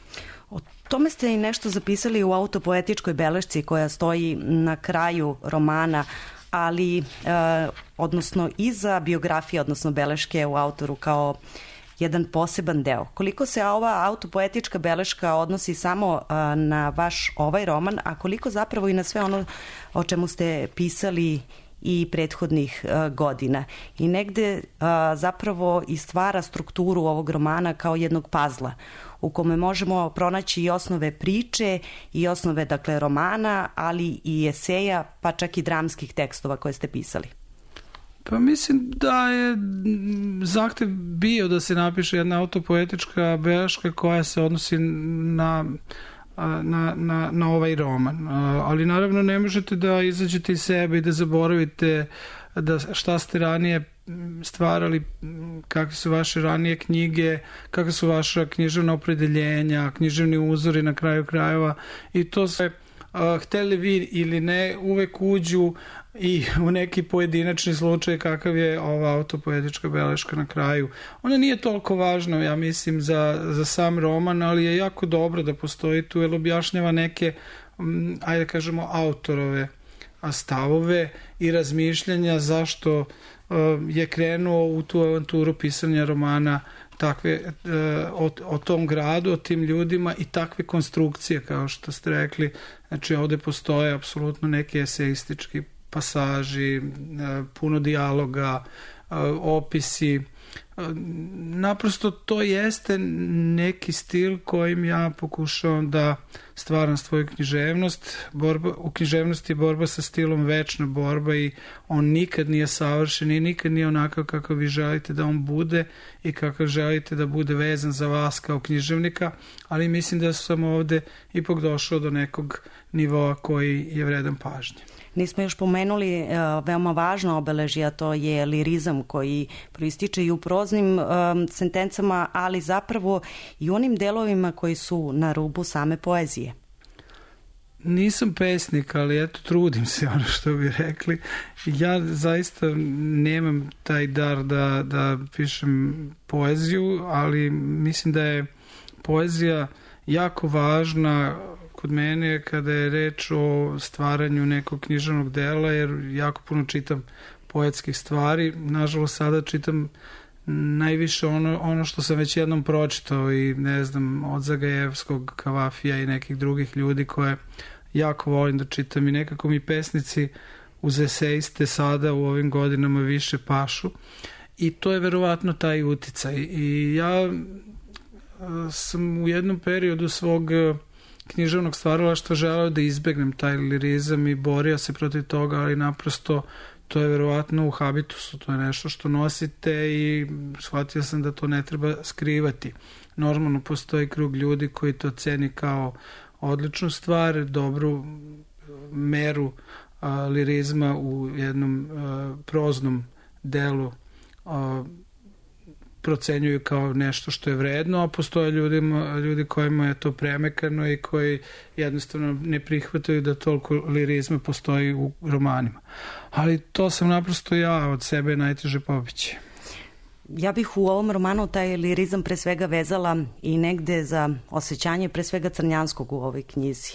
O tome ste i nešto zapisali u autopoetičkoj belešci koja stoji na kraju romana, ali odnosno iza biografije, odnosno beleške u autoru kao jedan poseban deo. Koliko se ova autopoetička beleška odnosi samo na vaš ovaj roman, a koliko zapravo i na sve ono o čemu ste pisali i prethodnih godina. I negde zapravo i stvara strukturu ovog romana kao jednog pazla u kome možemo pronaći i osnove priče i osnove, dakle, romana, ali i eseja, pa čak i dramskih tekstova koje ste pisali. Pa mislim da je zahtev bio da se napiše jedna autopoetička beleška koja se odnosi na ovaj roman. Ali naravno ne možete da izađete iz sebe i da zaboravite da šta ste ranije stvarali, kakve su vaše ranije knjige, kakve su vaša književna opredeljenja, književni uzori na kraju krajeva, i to se hteli vi ili ne uvek uđu i u neki pojedinačni slučaj kakav je ova autopoetička beleška na kraju. Ona nije toliko važna, ja mislim, za sam roman, ali je jako dobro da postoji tu, jer objašnjava neke, ajde kažemo, autorove stavove i razmišljanja zašto je krenuo u tu avanturu pisanja romana o tom gradu, o tim ljudima i takve konstrukcije, kao što ste rekli. Znači, ovde postoje apsolutno neki eseistički pasaži, puno dijaloga, opisi. Naprosto to jeste neki stil kojim ja pokušavam da stvaram svoju književnost. U književnosti je borba sa stilom večna borba i on nikad nije savršen i nikad nije onakav kako vi želite da on bude i kako želite da bude vezan za vas kao književnika, ali mislim da sam ovde ipak došao do nekog nivoa koji je vredan pažnje. Nismo još pomenuli veoma važno obeležje, a to je lirizam koji proističe i u proznim sentencama, ali zapravo i u onim delovima koji su na rubu same poezije. Nisam pesnik, ali eto, trudim se, ono što bi rekli. Ja zaista nemam taj dar da pišem poeziju, ali mislim da je poezija jako važna kod mene kada je reč o stvaranju nekog književnog dela, jer jako puno čitam poetskih stvari. Nažalost, sada čitam najviše ono što sam već jednom pročitao i ne znam, od Zagajevskog, Kavafija i nekih drugih ljudi koje jako volim da čitam i nekako mi pesnici uz eseiste sada u ovim godinama više pašu i to je verovatno taj uticaj. I ja sam u jednom periodu svog književnog stvaralaštva želeo da izbegnem taj lirizam i borio se protiv toga, ali naprosto to je verovatno u habitusu, to je nešto što nosite i shvatio sam da to ne treba skrivati. Normalno postoji krug ljudi koji to ceni kao odličnu stvar, dobru meru lirizma u jednom proznom delu procenjuju kao nešto što je vredno, a postoje ljudi kojima je to premekano i koji jednostavno ne prihvataju da toliko lirizma postoji u romanima. Ali to sam naprosto ja od sebe najteže pobići. Ja bih u ovom romanu taj lirizam pre svega vezala i negde za osjećanje pre svega Crnjanskog u ovoj knjizi.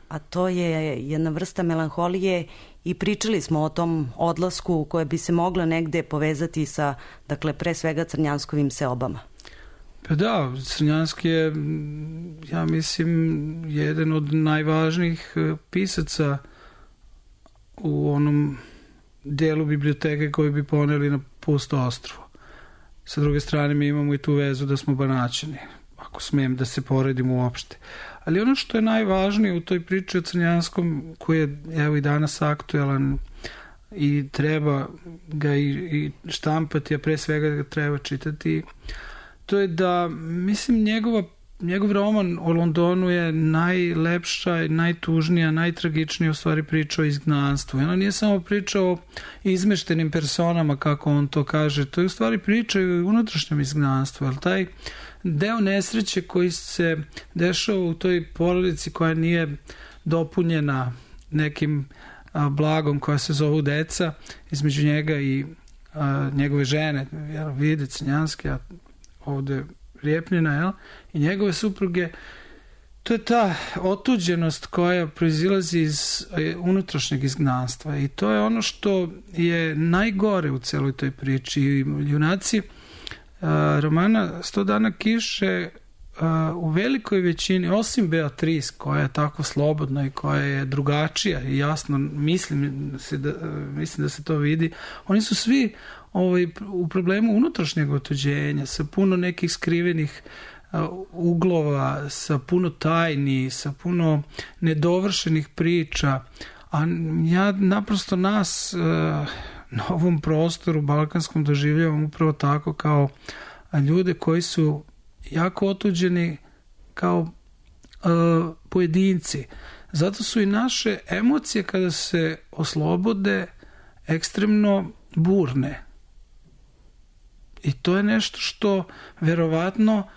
A to je jedna vrsta melanholije i pričali smo o tom odlasku koje bi se moglo negde povezati sa, dakle, pre svega Crnjanskovim seobama. Pa da, Crnjanski je, ja mislim, jedan od najvažnijih pisaca u onom delu biblioteke koji bi poneli na pusto ostrvo. Sa druge strane mi imamo i tu vezu da smo Banaćani, ako smijem da se poredimo uopšte. Ali ono što je najvažnije u toj priči o Crnjanskom, koji je evo i danas aktuelan i treba ga i štampati, a pre svega ga treba čitati, to je da, mislim, njegov roman o Londonu je najlepša, najtužnija, najtragičnija u stvari priča o izgnanstvu. I ona nije samo priča o izmeštenim personama, kako on to kaže, to je u stvari priča i o unutrašnjem izgnanstvu, jer taj deo nesreće koji se dešava u toj porodici koja nije dopunjena nekim blagom koja se zovu deca, između njega i njegove žene, Vide Crnjanski, a ovde Rijepljina, jel? I njegove supruge, to je ta otuđenost koja proizilazi iz unutrašnjeg izgnanstva i to je ono što je najgore u celoj toj priči. Junaci romana 100 dana kiše u velikoj većini, osim Beatrice koja je tako slobodna i koja je drugačija i jasno mislim da se to vidi, oni su svi u problemu unutrašnjeg otuđenja, sa puno nekih skrivenih uglova, sa puno tajni, sa puno nedovršenih priča, a ja naprosto nas na ovom prostoru balkanskom doživljavam upravo tako, kao ljude koji su jako otuđeni kao pojedinci. Zato su i naše emocije kada se oslobode ekstremno burne. I to je nešto što verovatno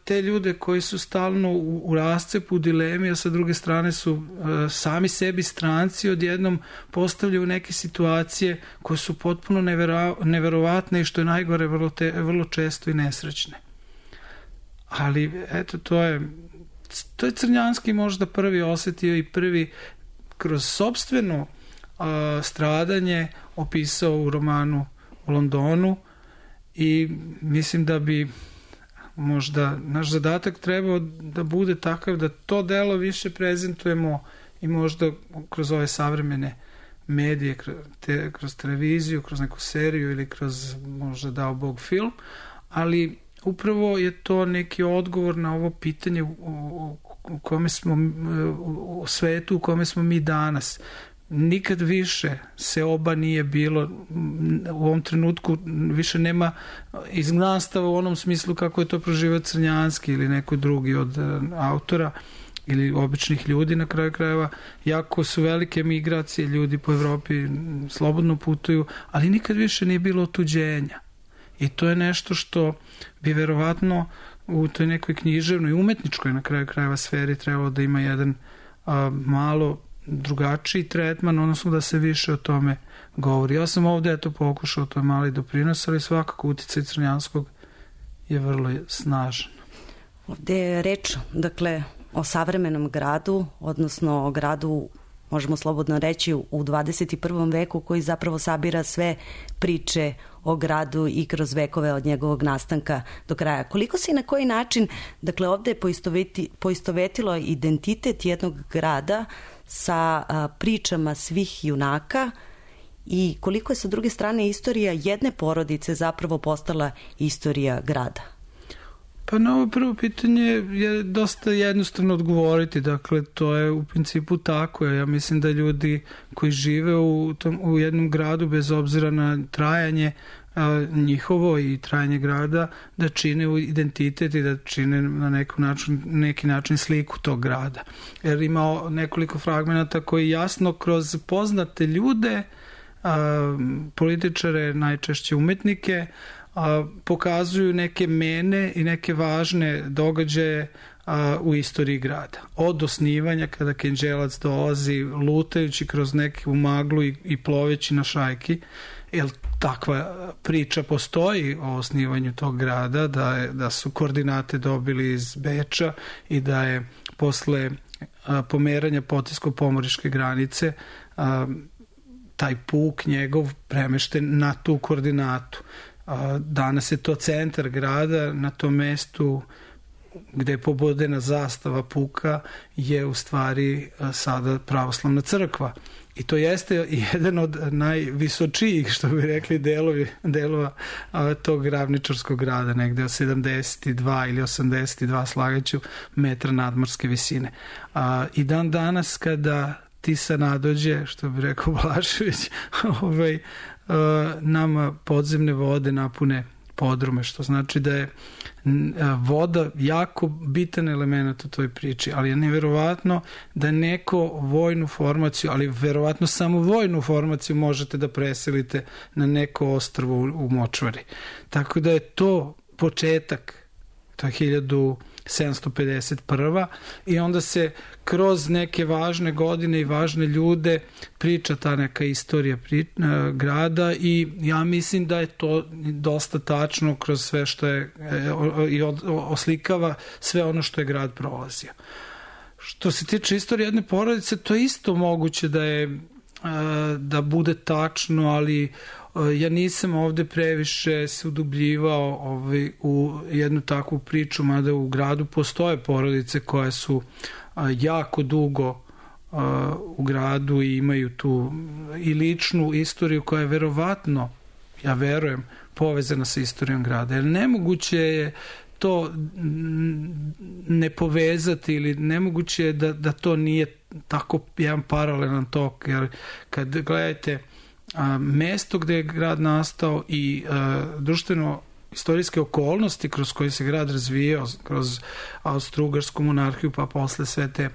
te ljude koji su stalno u rascepu, u dilemi, a sa druge strane su sami sebi stranci, odjednom postavljaju neke situacije koje su potpuno neverovatne i što je najgore vrlo često i nesrećne. Ali eto, to je Crnjanski možda prvi osetio i prvi kroz sopstveno stradanje opisao u romanu o Londonu i mislim da bi možda naš zadatak trebao da bude takav da to delo više prezentujemo i možda kroz ove savremene medije, kroz televiziju, kroz neku seriju ili kroz možda dao Bog film, ali upravo je to neki odgovor na ovo pitanje u kome smo, u svetu u kome smo mi danas. Nikad više seoba nije bilo, u ovom trenutku više nema izgnanstava u onom smislu kako je to proživao Crnjanski ili neko drugi od autora ili običnih ljudi na kraju krajeva. Jako su velike migracije, ljudi po Evropi slobodno putuju, ali nikad više nije bilo otuđenja. I to je nešto što bi verovatno u toj nekoj književnoj, umetničkoj na kraju krajeva sferi trebalo da ima jedan malo drugačiji tretman, odnosno da se više o tome govori. Ja sam ovde pokušao, to je mali doprinos, ali svakako uticaj Crnjanskog je vrlo snažan. Ovde je reč, dakle, o savremenom gradu, odnosno o gradu, možemo slobodno reći, u 21. veku koji zapravo sabira sve priče o gradu i kroz vekove od njegovog nastanka do kraja. Koliko se i na koji način, dakle, ovde je poistovetilo identitet jednog grada sa pričama svih junaka i koliko je sa druge strane istorija jedne porodice zapravo postala istorija grada? Pa na ovo prvo pitanje je dosta jednostavno odgovoriti, dakle to je u principu tako. Ja mislim da ljudi koji žive u jednom gradu bez obzira na trajanje njihovo i trajanje grada, da čine identitet i da čine na neki način sliku tog grada. Jer ima nekoliko fragmenata koji jasno kroz poznate ljude, političare, najčešće umetnike, pokazuju neke mene i neke važne događaje u istoriji grada. Od osnivanja kada Kenđelac dolazi lutajući kroz neku maglu i ploveći na šajki, jer takva priča postoji o osnivanju tog grada, da su koordinate dobili iz Beča i da je posle pomeranja Potisko-pomoriške granice taj puk njegov premešten na tu koordinatu. Danas je to centar grada, na tom mestu gde je pobodena zastava puka je u stvari sada pravoslavna crkva. I to jeste jedan od najvisočijih, što bi rekli, delova tog ravničarskog grada, negde od 72 ili 82, slagaću, metra nadmorske visine. I dan danas kada Tisa nadođe, što bi rekao Blašević, nama podzemne vode napune podrume, što znači da je voda jako bitan element u toj priči, ali je neverovatno da neko vojnu formaciju, ali verovatno samo vojnu formaciju možete da preselite na neko ostrvo u močvari. Tako da je to početak, to je 1751. I onda se kroz neke važne godine i važne ljude priča ta neka istorija grada i ja mislim da je to dosta tačno kroz sve što je i oslikava sve ono što je grad prolazio. Što se tiče istorije jedne porodice, to je isto moguće da bude tačno, ali ja nisam ovde previše se udubljivao u jednu takvu priču, mada u gradu postoje porodice koje su jako dugo u gradu i imaju tu i ličnu istoriju koja je verovatno, ja verujem, povezana sa istorijom grada. Jer nemoguće je to ne povezati ili nemoguće je da to nije tako jedan paralelan tok, jer kad gledate mesto gde je grad nastao i društveno istorijske okolnosti kroz koje se grad razvijao, kroz Austro-Ugarsku monarhiju, pa posle sve te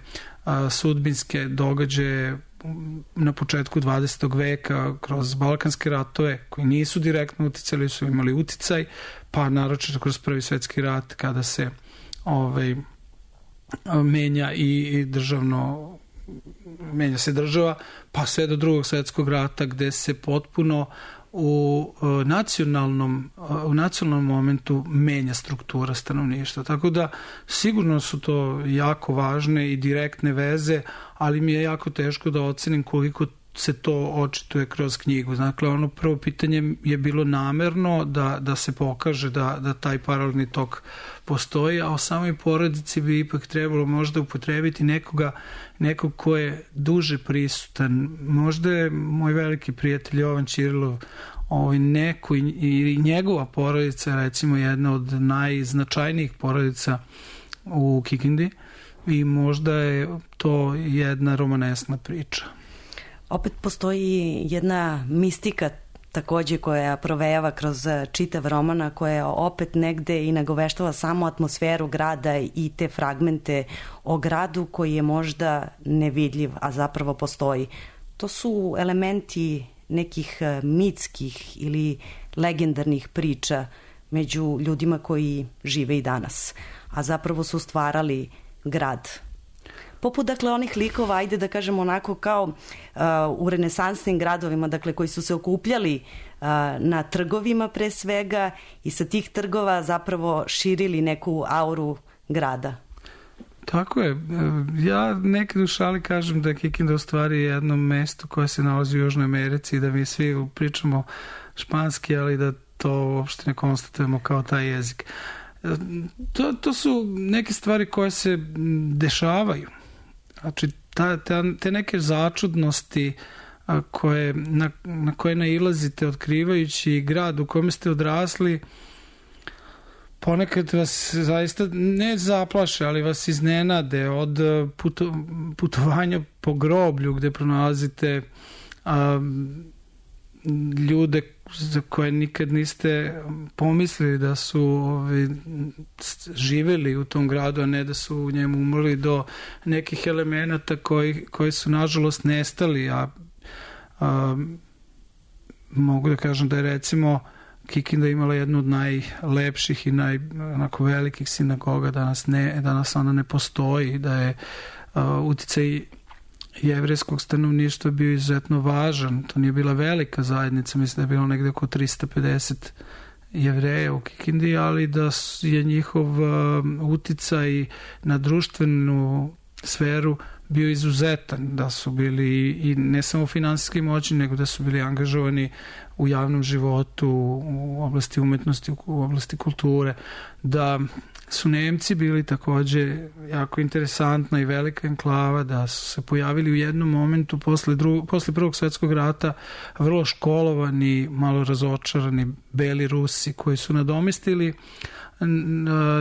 sudbinske događaje na početku 20. veka, kroz Balkanske ratove koji nisu direktno uticali, su imali uticaj, pa naročito kroz Prvi svetski rat kada se menja i menja se država, pa sve do Drugog svetskog rata gde se potpuno u nacionalnom momentu menja struktura stanovništva. Tako da sigurno su to jako važne i direktne veze, ali mi je jako teško da ocenim koliko se to očituje kroz knjigu. Dakle, ono prvo pitanje je bilo namerno da se pokaže da taj paralelni tok postoji, a o samoj porodici bi ipak trebalo možda upotrebiti nekog ko je duže prisutan. Možda je moj veliki prijatelj Jovan Ćirilov neko i njegova porodica, recimo jedna od najznačajnijih porodica u Kikindi, i možda je to jedna romanesna priča. Opet postoji jedna mistika takođe koja provejava kroz čitav romana, koja opet negde i nagoveštava samo atmosferu grada i te fragmente o gradu koji je možda nevidljiv, a zapravo postoji. To su elementi nekih mitskih ili legendarnih priča među ljudima koji žive i danas, a zapravo su stvarali grad. Poput, dakle, onih likova, ajde da kažemo onako kao u renesansnim gradovima, dakle, koji su se okupljali na trgovima pre svega i sa tih trgova zapravo širili neku auru grada. Tako je. Ja nekad u šali kažem da je Kikinda u stvari jedno mesto koje se nalazi u Južnoj Americi i da mi svi pričamo španski, ali da to uopšte ne konstatujemo kao taj jezik. To su neke stvari koje se dešavaju. Znači, te neke začudnosti na koje nailazite otkrivajući grad u kojem ste odrasli, ponekad vas zaista ne zaplaše, ali vas iznenade od putovanja po groblju gde pronalazite ljude za koje nikad niste pomislili da su živeli u tom gradu, a ne da su u njemu umrli, do nekih elemenata koji su nažalost nestali, a mogu da kažem da je recimo Kikinda imala jednu od najlepših i onako velikih sinagoga, danas ona ne postoji, da je uticaj jevrejskog stanovništva bio izuzetno važan. To nije bila velika zajednica, mislim da je bilo negde oko 350 Jevreja u Kikindi, ali da je njihov uticaj na društvenu sferu bio izuzetan, da su bili i ne samo finansijski moćni, nego da su bili angažovani u javnom životu, u oblasti umetnosti, u oblasti kulture, da su Nemci bili takođe jako interesantna i velika enklava, da su se pojavili u jednom momentu posle Prvog svetskog rata vrlo školovani, malo razočarani beli Rusi koji su nadomestili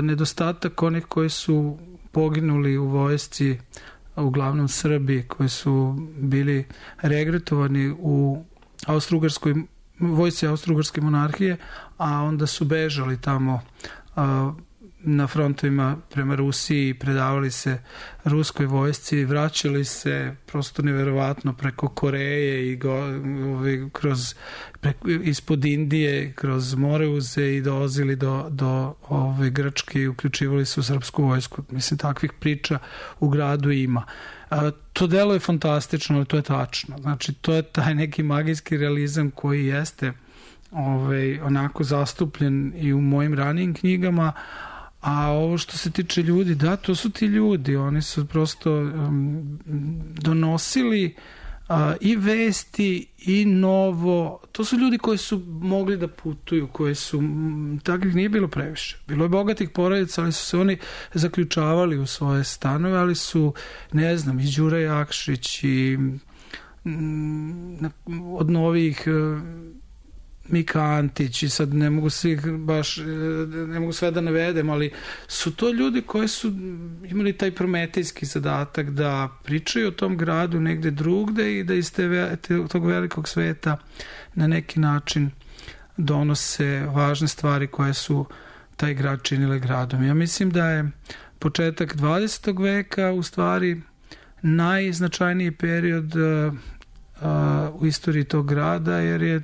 nedostatak onih koji su poginuli u vojsci, uglavnom Srbi, koji su bili regrutovani u vojsci Austro-Ugarske monarhije, a onda su bežali tamo na frontovima prema Rusiji, predavali se ruskoj vojsci, vraćali se prosto neverovatno preko Koreje i ispod Indije, kroz Moreuze i dolazili do Grčke i uključivali se u srpsku vojsku. Mislim, takvih priča u gradu ima. To delo je fantastično, ali to je tačno. Znači, to je taj neki magijski realizam koji jeste onako zastupljen i u mojim ranijim knjigama. A ovo što se tiče ljudi, da, to su ti ljudi, oni su prosto donosili i vesti i novo, to su ljudi koji su mogli da putuju, koji su, takvih nije bilo previše, bilo je bogatih porodica, ali su se oni zaključavali u svoje stanove, ali su, ne znam, i Đura Jakšić i od novih Mika Antić, i sad ne mogu sve da navedem, ali su to ljudi koji su imali taj prometejski zadatak da pričaju o tom gradu negde drugde i da iz tog velikog sveta na neki način donose važne stvari koje su taj grad činile gradom. Ja mislim da je početak 20. veka u stvari najznačajniji period u istoriji tog grada, jer je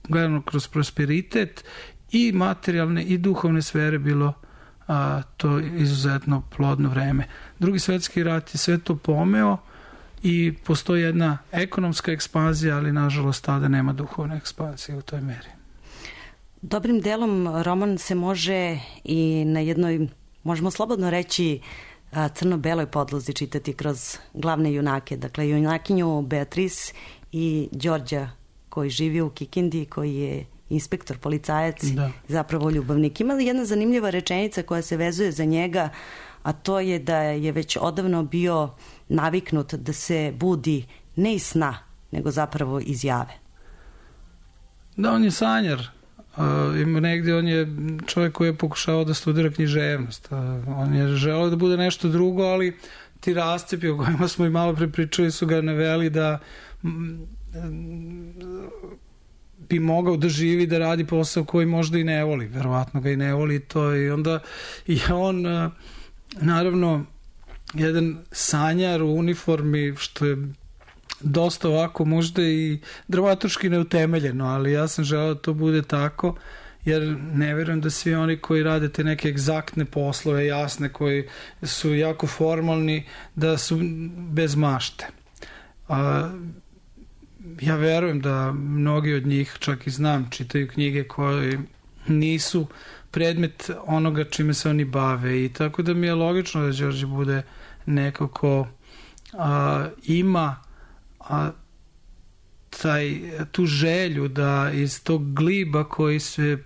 gledano kroz prosperitet i materijalne i duhovne sfere bilo to izuzetno plodno vreme. Drugi svetski rat je sve to pomeo i postoji jedna ekonomska ekspanzija, ali nažalost tada nema duhovne ekspanzije u toj meri. Dobrim delom roman se može i na jednoj, možemo slobodno reći, crno-beloj podlozi čitati kroz glavne junake, dakle junakinju Beatrice i Đorđa koji živi u Kikindi, koji je inspektor, policajac, zapravo ljubavnik. Ima jedna zanimljiva rečenica koja se vezuje za njega, a to je da je već odavno bio naviknut da se budi ne iz sna, nego zapravo iz jave. Da, on je sanjar, Ima negde, on je čovjek koji je pokušao da studira književnost. On je želeo da bude nešto drugo, ali ti rascepi o kojima smo i malo prepričali su ga naveli da bi mogao da živi, da radi posao koji možda i ne voli. Verovatno ga i ne voli to, i onda je on naravno jedan sanjar u uniformi, što je dosta ovako možda i dramaturški neutemeljeno, ali ja sam želeo da to bude tako, jer ne verujem da svi oni koji rade te neke egzaktne poslove, jasne, koji su jako formalni, da su bez mašte. Ja verujem da mnogi od njih, čak i znam, čitaju knjige koje nisu predmet onoga čime se oni bave, i tako da mi je logično da Đorđe bude neko ko ima tu želju da iz tog gliba koji sve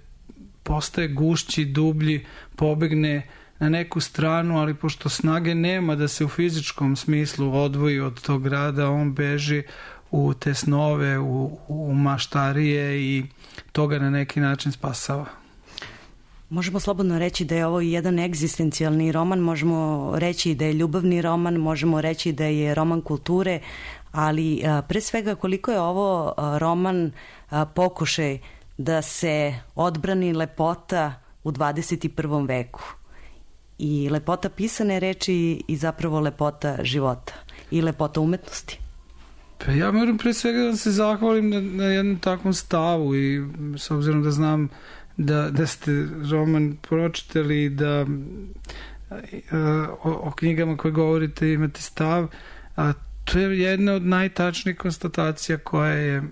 postaje gušći, dublji, pobegne na neku stranu, ali pošto snage nema da se u fizičkom smislu odvoji od tog grada, on beži u te snove, u maštarije, i toga na neki način spasava. Možemo slobodno reći da je ovo jedan egzistencijalni roman, možemo reći da je ljubavni roman, možemo reći da je roman kulture, ali pre svega koliko je ovo roman pokušaj da se odbrani lepota u 21. veku. I lepota pisane reči i zapravo lepota života i lepota umetnosti. Pa ja moram pre svega da se zahvalim na jednom takvom stavu, i s obzirom da znam da ste roman pročitali i da o knjigama koje govorite imate stav, to je jedna od najtačnijih konstatacija koja je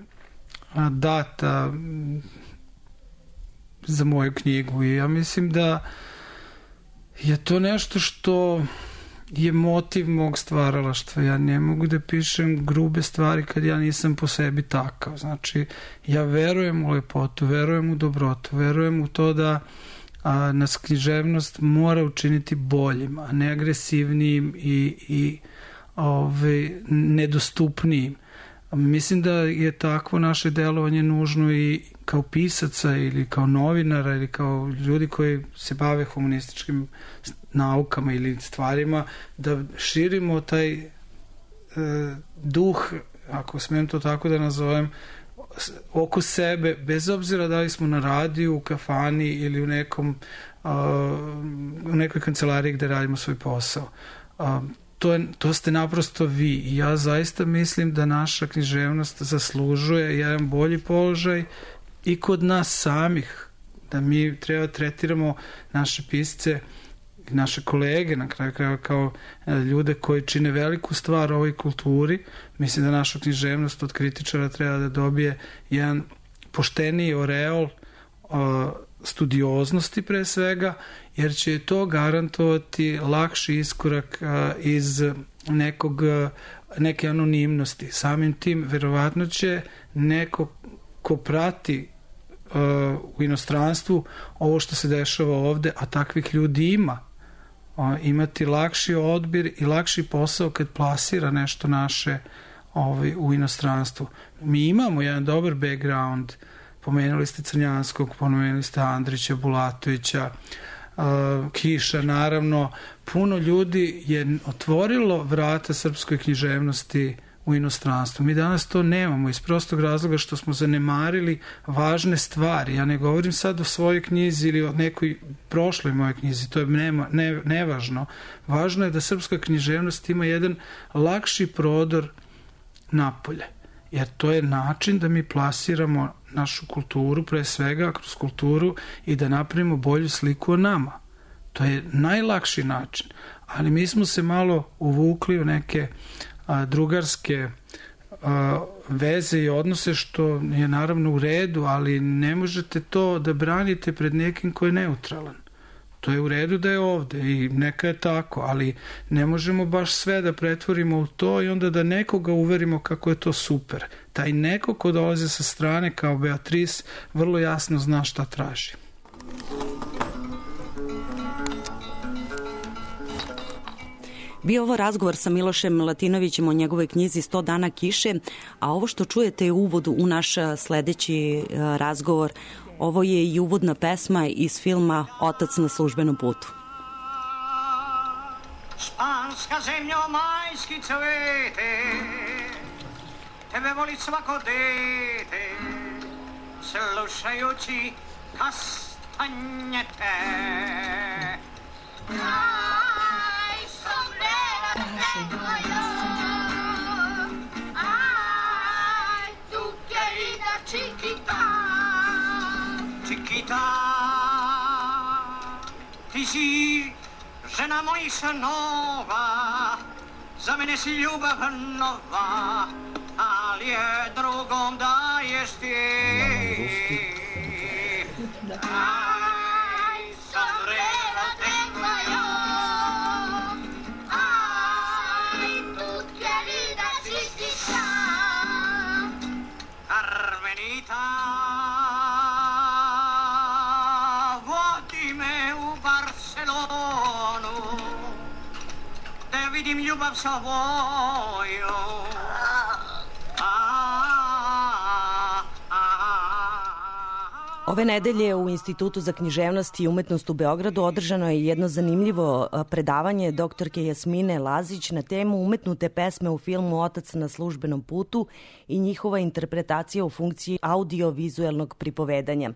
data za moju knjigu, i ja mislim da je to nešto što je motiv mog stvaralaštva. Ja ne mogu da pišem grube stvari kad ja nisam po sebi takav. Znači, ja verujem u lepotu, verujem u dobrotu, verujem u to da nas književnost mora učiniti boljim, a ne agresivnijim i nedostupnijim. Mislim da je takvo naše delovanje nužno i kao pisaca ili kao novinara ili kao ljudi koji se bave humanističkim naukama ili stvarima, da širimo taj duh, ako smijem to tako da nazovem, oko sebe, bez obzira da li smo na radiju, u kafani ili u nekoj kancelariji gde radimo svoj posao. To ste naprosto vi, i ja zaista mislim da naša književnost zaslužuje jedan bolji položaj i kod nas samih, da mi treba tretiramo naše pisce, naše kolege na kraju krajeva kao ljude koji čine veliku stvar ovoj kulturi. Mislim da naša književnost od kritičara treba da dobije jedan pošteniji oreol studioznosti pre svega, jer će to garantovati lakši iskorak iz neke anonimnosti. Samim tim verovatno će neko ko prati u inostranstvu ovo što se dešava ovde, a takvih ljudi ima, imati lakši odbir i lakši posao kad plasira nešto naše u inostranstvu. Mi imamo jedan dobar background, pomenuli ste Crnjanskog, pomenuli ste Andrića, Bulatovića, Kiša, naravno. Puno ljudi je otvorilo vrata srpskoj književnosti u inostranstvu. Mi danas to nemamo iz prostog razloga što smo zanemarili važne stvari. Ja ne govorim sad o svojoj knjizi ili o nekoj prošloj mojoj knjizi, to je nevažno. Važno je da srpska književnost ima jedan lakši prodor napolje, jer to je način da mi plasiramo našu kulturu, pre svega kroz kulturu, i da napravimo bolju sliku o nama. To je najlakši način, ali mi smo se malo uvukli u neke drugarske veze i odnose, što je naravno u redu, ali ne možete to da branite pred nekim ko je neutralan. To je u redu da je ovde i neka je tako, ali ne možemo baš sve da pretvorimo u to i onda da nekoga uverimo kako je to super. Taj neko ko dolaze sa strane kao Beatrice vrlo jasno zna šta traži. Bio ovo razgovor sa Milošem Latinovićem o njegovoj knjizi 100 dana kiše, a ovo što čujete je uvod u naš sledeći razgovor Ovo je i uvodna pesma iz filma Otac na službenom putu. Španska zemljo, majski cvete, tebe voli svako dete, slušajući kastanjete. Aj, sombrero tengo yo, aj, tu querida chiquita, chiquita, ti si žena mojih snova, za mene si ljubav nova, ali je drugom daješ ti. Aj, sombrero tengo yo, aj, tu querida chiquita, Carmenita, vodi me u Barcelonu, da vidim ljubav svoju. Ove nedelje u Institutu za književnost i umetnost u Beogradu održano je jedno zanimljivo predavanje doktorke Jasmine Lazić na temu umetnute pesme u filmu Otac na službenom putu i njihova interpretacija u funkciji audio-vizuelnog pripovedanja.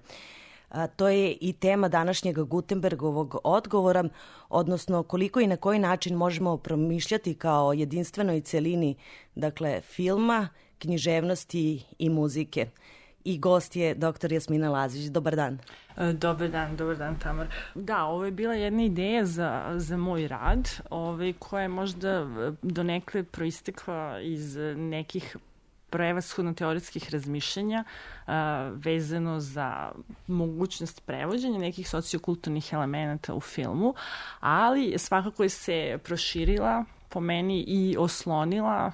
To je i tema današnjeg Gutenbergovog odgovora, odnosno koliko i na koji način možemo promišljati kao jedinstvenoj celini, dakle, filma, književnosti i muzike. I gost je dr. Jasmina Lazić. Dobar dan. Dobar dan, Tamar. Da, ovo je bila jedna ideja za moj rad, koja je možda donekle proistekla iz nekih prevashodno teoretskih razmišljanja vezano za mogućnost prevođenja nekih sociokulturnih elemenata u filmu, ali svakako je se proširila po meni i oslonila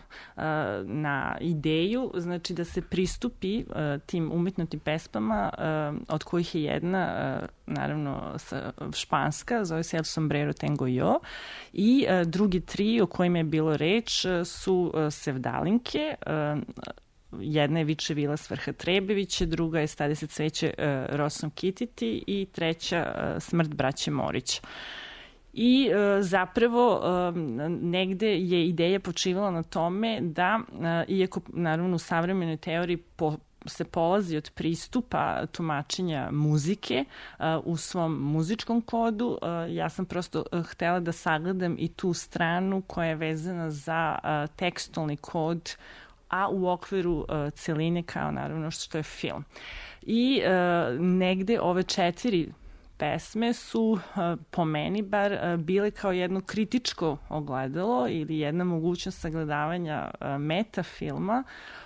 na ideju, znači da se pristupi tim umetnutim pesmama, od kojih je jedna, naravno, španska, zove se El Sombrero Tengo Yo, i drugi tri o kojima je bilo reč su Sevdalinke, jedna je Viče Vila Svrha Trebevića, druga je Stade se cveće Rosom Kititi i treća Smrt braće Morića. I zapravo negde je ideja počivala na tome da, iako naravno u savremenoj teoriji se polazi od pristupa tumačenja muzike u svom muzičkom kodu, ja sam prosto htela da sagledam i tu stranu koja je vezana za tekstualni kod, a u okviru celine kao naravno što je film. I negde ove četiri pesme su, po meni bar, bile kao jedno kritičko ogledalo ili jedna mogućnost sagledavanja metafilma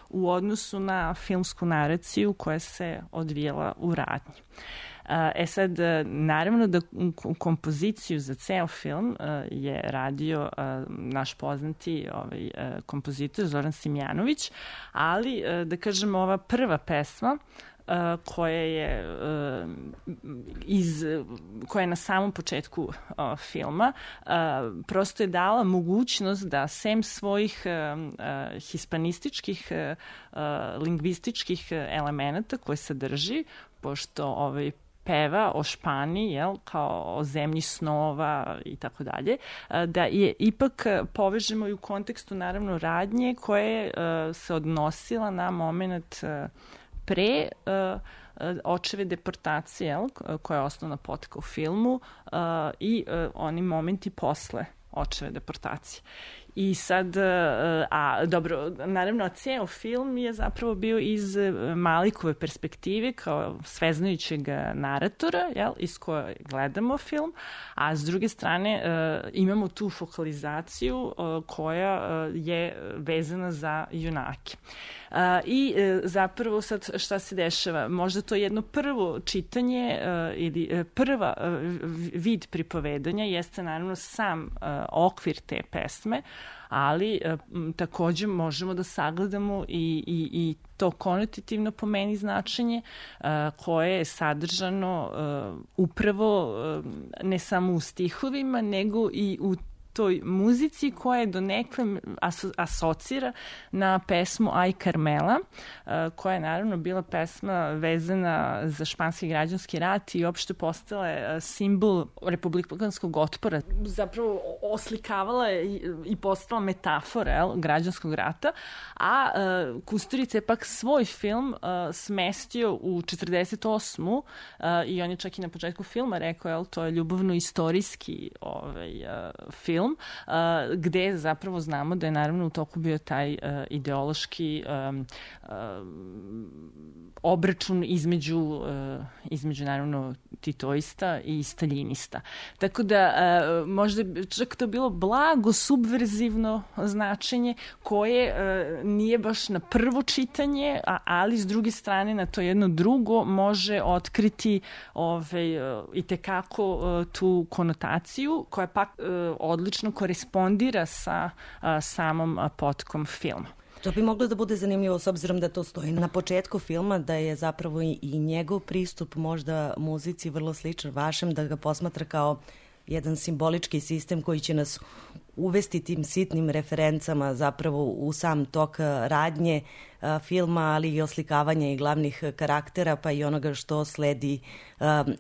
u odnosu na filmsku naraciju koja se odvijela u radnji. Sad, naravno da kompoziciju za ceo film je radio naš poznati kompozitor Zoran Simjanović, ali da kažemo ova prva pesma koja je na samom početku filma prosto je dala mogućnost da sem svojih hispanističkih lingvističkih elemenata koje sadrži, pošto peva o Španiji, kao o zemlji snova i tako dalje, da je ipak povežemo i u kontekstu naravno radnje koje se odnosila na moment pre očeve deportacije, koja je osnovna potka u filmu, i oni momenti posle očeve deportacije. I sad, dobro, naravno, ceo film je zapravo bio iz Malikove perspektive kao sveznajućeg naratora, iz koje gledamo film, a s druge strane imamo tu fokalizaciju koja je vezana za junake. I zapravo sad šta se dešava? Možda to jedno prvo čitanje ili prva vid pripovedanja jeste naravno sam okvir te pesme, ali takođe možemo da sagledamo i to konotativno po meni značenje koje je sadržano upravo ne samo u stihovima, nego i u toj muzici koja je donekle asocira na pesmu Aj Carmela, koja je naravno bila pesma vezana za španski građanski rat i uopšte postala simbol republikanskog otpora. Zapravo oslikavala je i postala metafora građanskog rata, a Kusturica je pak svoj film smestio u 48. I on je čak i na početku filma rekao, to je ljubavno-istorijski film, gde zapravo znamo da je naravno u toku bio taj ideološki obračun između naravno titoista i staljinista. Tako da možda čak to bilo blago subverzivno značenje koje nije baš na prvo čitanje, ali s druge strane na to jedno drugo može otkriti i tekako tu konotaciju koja pak odlično korespondira sa samom potkom filma. To bi moglo da bude zanimljivo s obzirom da to stoji na početku filma, da je zapravo i njegov pristup možda muzici vrlo sličan vašem, da ga posmatra kao jedan simbolički sistem koji će nas uvesti tim sitnim referencama zapravo u sam tok radnje filma, ali i oslikavanja i glavnih karaktera, pa i onoga što sledi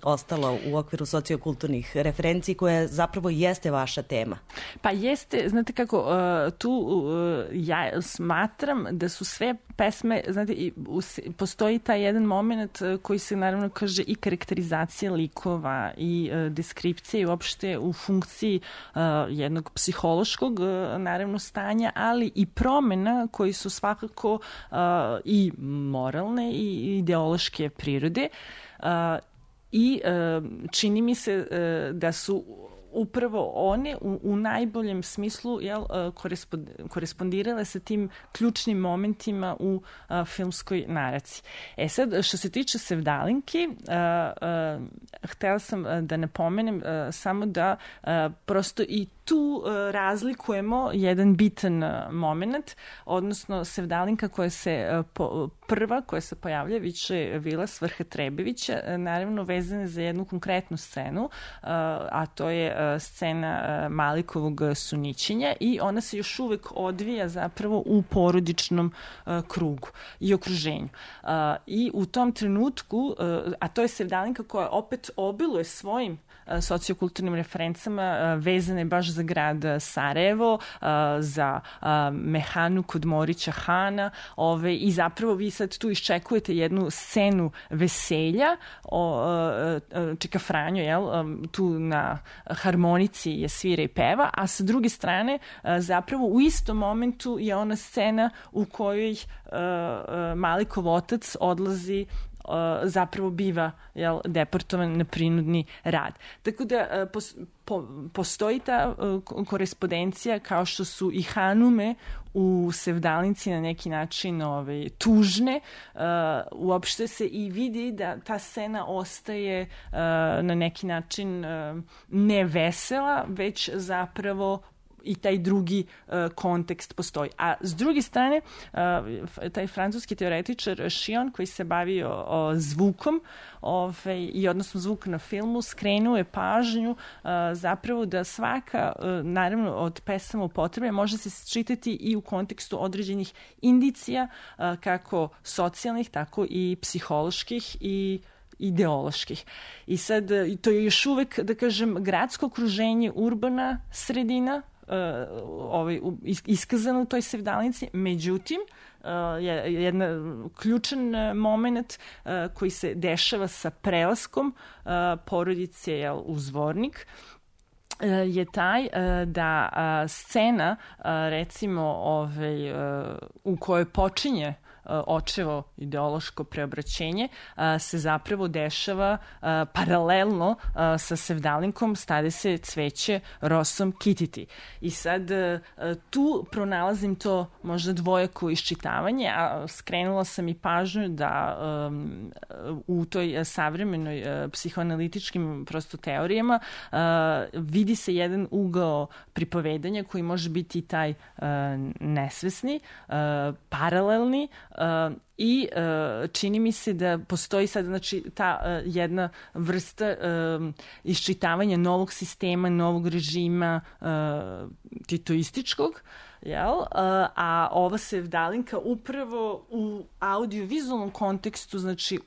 ostalo u okviru sociokulturnih referenciji, koja zapravo jeste vaša tema. Pa jeste, znate kako, tu ja smatram da su sve pesme, znate, postoji taj jedan moment koji se naravno kaže i karakterizacija likova i deskripcija i uopšte u funkciji jednog psihološkog naravno stanja, ali i promena koji su svakako i moralne i ideološke prirode i čini mi se da su upravo one u najboljem smislu korespondirale sa tim ključnim momentima u filmskoj naraciji. Sad, što se tiče Sevdalinki, htela sam da napomenem samo da prosto i tu razlikujemo jedan bitan moment, odnosno Sevdalinka koja se prva koja se pojavlja više Vila Svrha Trebevića, naravno vezana za jednu konkretnu scenu, a to je scena Malikovog sunićenja i ona se još uvek odvija zapravo u porodičnom krugu i okruženju. I u tom trenutku, a to je Sevdalinka koja opet obiluje svojim sociokulturnim referencama vezane baš za grad Sarajevo, za mehanu kod Morića Hana i zapravo vi sad tu iščekujete jednu scenu veselja, Čika Franjo, tu na harmonici je svira i peva, a sa druge strane zapravo u istom momentu je ona scena u kojoj Malikov otac odlazi, zapravo biva deportovan na prinudni rad. Tako da postoji ta korespondencija kao što su i Hanume u Sevdalinci na neki način tužne. Uopšte se i vidi da ta scena ostaje na neki način ne vesela, već zapravo i taj drugi kontekst postoji. A s druge strane, taj francuski teoretičar Chion, koji se bavio zvukom i odnosno zvuk na filmu, skrenuo je pažnju zapravo da svaka, naravno od pesama upotrebe, može se čitati i u kontekstu određenih indicija, kako socijalnih, tako i psiholoških i ideoloških. I sad, to je još uvek, da kažem, gradsko okruženje, urbana sredina, iskazano u toj Sevdalinci, međutim, jedan ključan moment koji se dešava sa prelaskom porodice u Zvornik je taj da scena, recimo, u kojoj počinje očevo ideološko preobraćenje se zapravo dešava paralelno sa Sevdalinkom Stade se cveće rosom kititi. I sad tu pronalazim to možda dvojako iščitavanje, a skrenula sam i pažnju da u toj savremenoj psihoanalitičkim prosto teorijama vidi se jedan ugao pripovedanja koji može biti taj nesvesni, paralelni, I čini mi se da postoji sad, znači, ta jedna vrsta iščitavanja novog sistema, novog režima titoističkog, jel? A ova sevdalinka upravo u audio-vizualnom kontekstu, znači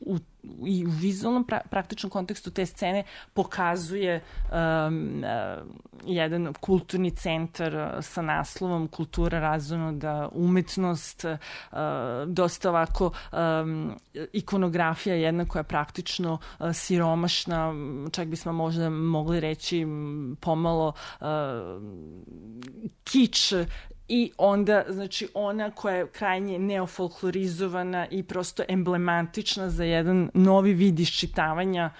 i u vizualnom praktičnom kontekstu te scene pokazuje jedan kulturni centar sa naslovom Kultura razonoda, umetnost, dosta ovako ikonografija jedna koja je praktično siromašna, čak bismo možda mogli reći pomalo kič, i onda, znači, ona koja je krajnje neofolklorizovana i prosto emblematična za jedan novi vid iščitavanja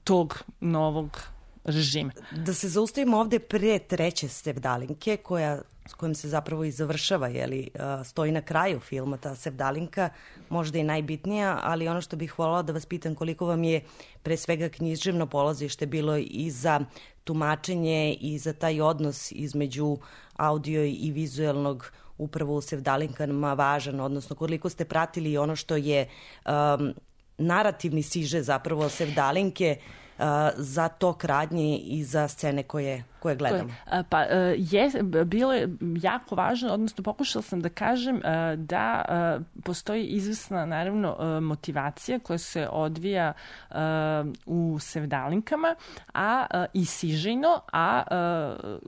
tog novog režima. Da se zaustavimo ovde pre treće sevdalinke, s kojom se zapravo i završava, stoji na kraju filma ta sevdalinka, možda i najbitnija, ali ono što bih voljela da vas pitam, koliko vam je pre svega književno polazište bilo i za tumačenje i za taj odnos između audio i vizuelnog upravo u sevdalinkama važan, odnosno koliko ste pratili ono što je narativni siže zapravo sevdalinke za tok radnje i za scene koje gledamo. Pa bilo je jako važno, odnosno pokušala sam da kažem da postoji izvesna, naravno, motivacija koja se odvija u sevdalinkama, a i sižejno, a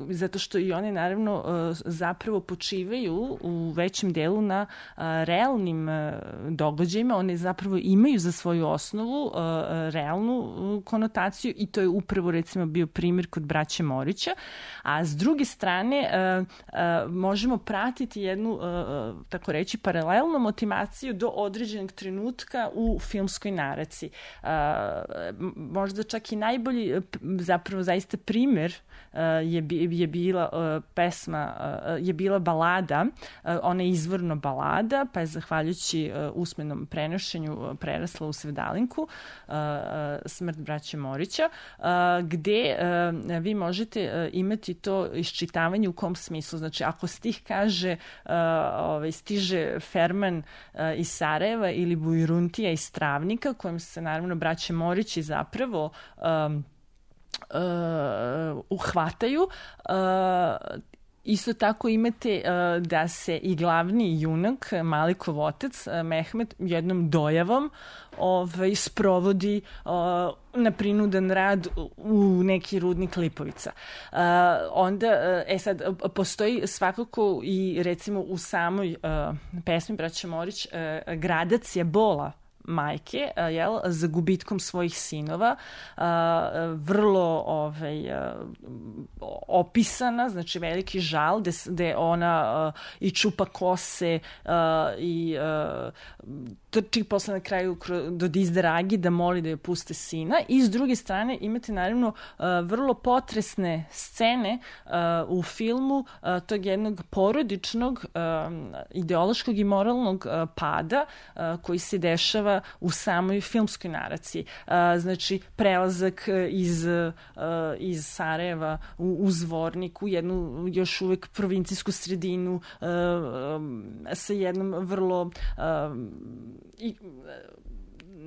zato što i one, naravno, zapravo počivaju u većem delu na realnim događajima. One zapravo imaju za svoju osnovu realnu konotaciju i to je upravo, recimo, bio primjer kod braće Morića. A s druge strane možemo pratiti jednu, tako reći, paralelnu motivaciju do određenog trenutka u filmskoj naraciji. Možda čak i najbolji, zapravo zaista primjer je bila pesma, je bila balada, ona je izvorno balada, pa je zahvaljujući usmenom prenošenju prerasla u sevdalinku, Smrt braće Morića, gde vi možete imati to iščitavanje u kom smislu. Znači, ako stih kaže stiže Ferman iz Sarajeva ili Bujruntija iz Travnika, kojim se, naravno, braće Morići zapravo uhvataju, isto tako imate da se i glavni junak, Malikov otac, Mehmet, jednom dojavom sprovodi na prinudan rad u neki rudnik Lipovica. Onda, sad, postoji svakako i, recimo, u samoj pesmi braće Morić gradacija bola majke, za gubitkom svojih sinova, vrlo opisana, znači veliki žal, gde ona i čupa kose i trči posle na kraju do Dizdragi da moli da joj puste sina, i s druge strane imate, naravno, vrlo potresne scene u filmu tog jednog porodičnog, ideološkog i moralnog pada koji se dešava u samoj filmskoj naraciji. Znači, prelazak iz Sarajeva u Zvornik, u jednu još uvek provincijsku sredinu sa jednom vrlo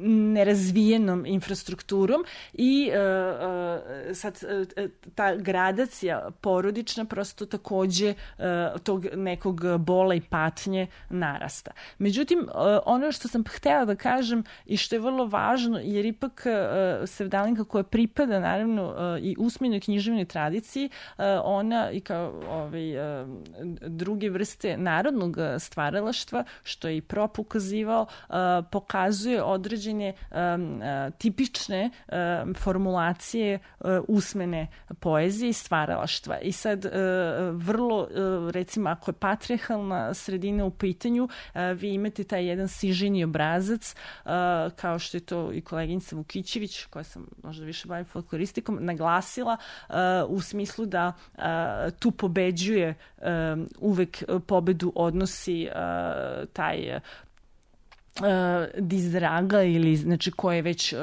nerazvijenom infrastrukturom, i sad ta gradacija porodična prosto takođe tog nekog bola i patnje narasta. Međutim, ono što sam htela da kažem i što je vrlo važno, jer ipak sevdalinka koja pripada, naravno, i usmenoj književnoj tradiciji, ona i kao druge vrste narodnog stvaralaštva, što je i Prop ukazivao, pokazuje određene tipične formulacije usmene poezije i stvaralaštva. I sad, vrlo, recimo, ako je patrijarhalna sredina u pitanju, vi imate taj jedan siženi obrazac, kao što je to i koleginica Vukićević, koja sam možda više bavim folkloristikom, naglasila, u smislu da tu pobeđuje, uvek pobedu odnosi taj Dizraga ili znači ko je već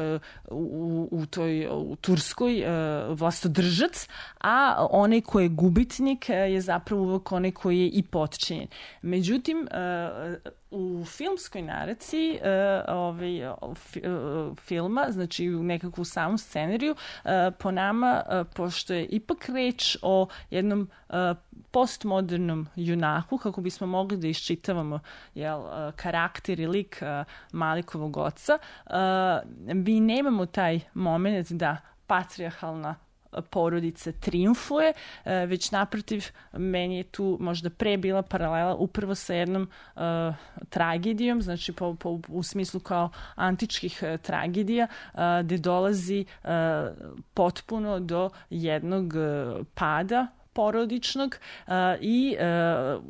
u Turskoj vlastodržac, a onaj ko je gubitnik je zapravo uvek onaj koji je i potčinjen. Međutim, u filmskoj naraciji filma, znači u nekakvu samu scenariju, po nama, pošto je ipak reč o jednom postmodernom junaku, kako bismo mogli da iščitavamo karakter i lik Malikovog oca, mi nemamo taj moment da patrijarhalna porodica triumfuje, već naprotiv, meni je tu možda pre bila paralela upravo sa jednom tragedijom, znači u smislu kao antičkih tragedija, gde dolazi potpuno do jednog pada porodičnog i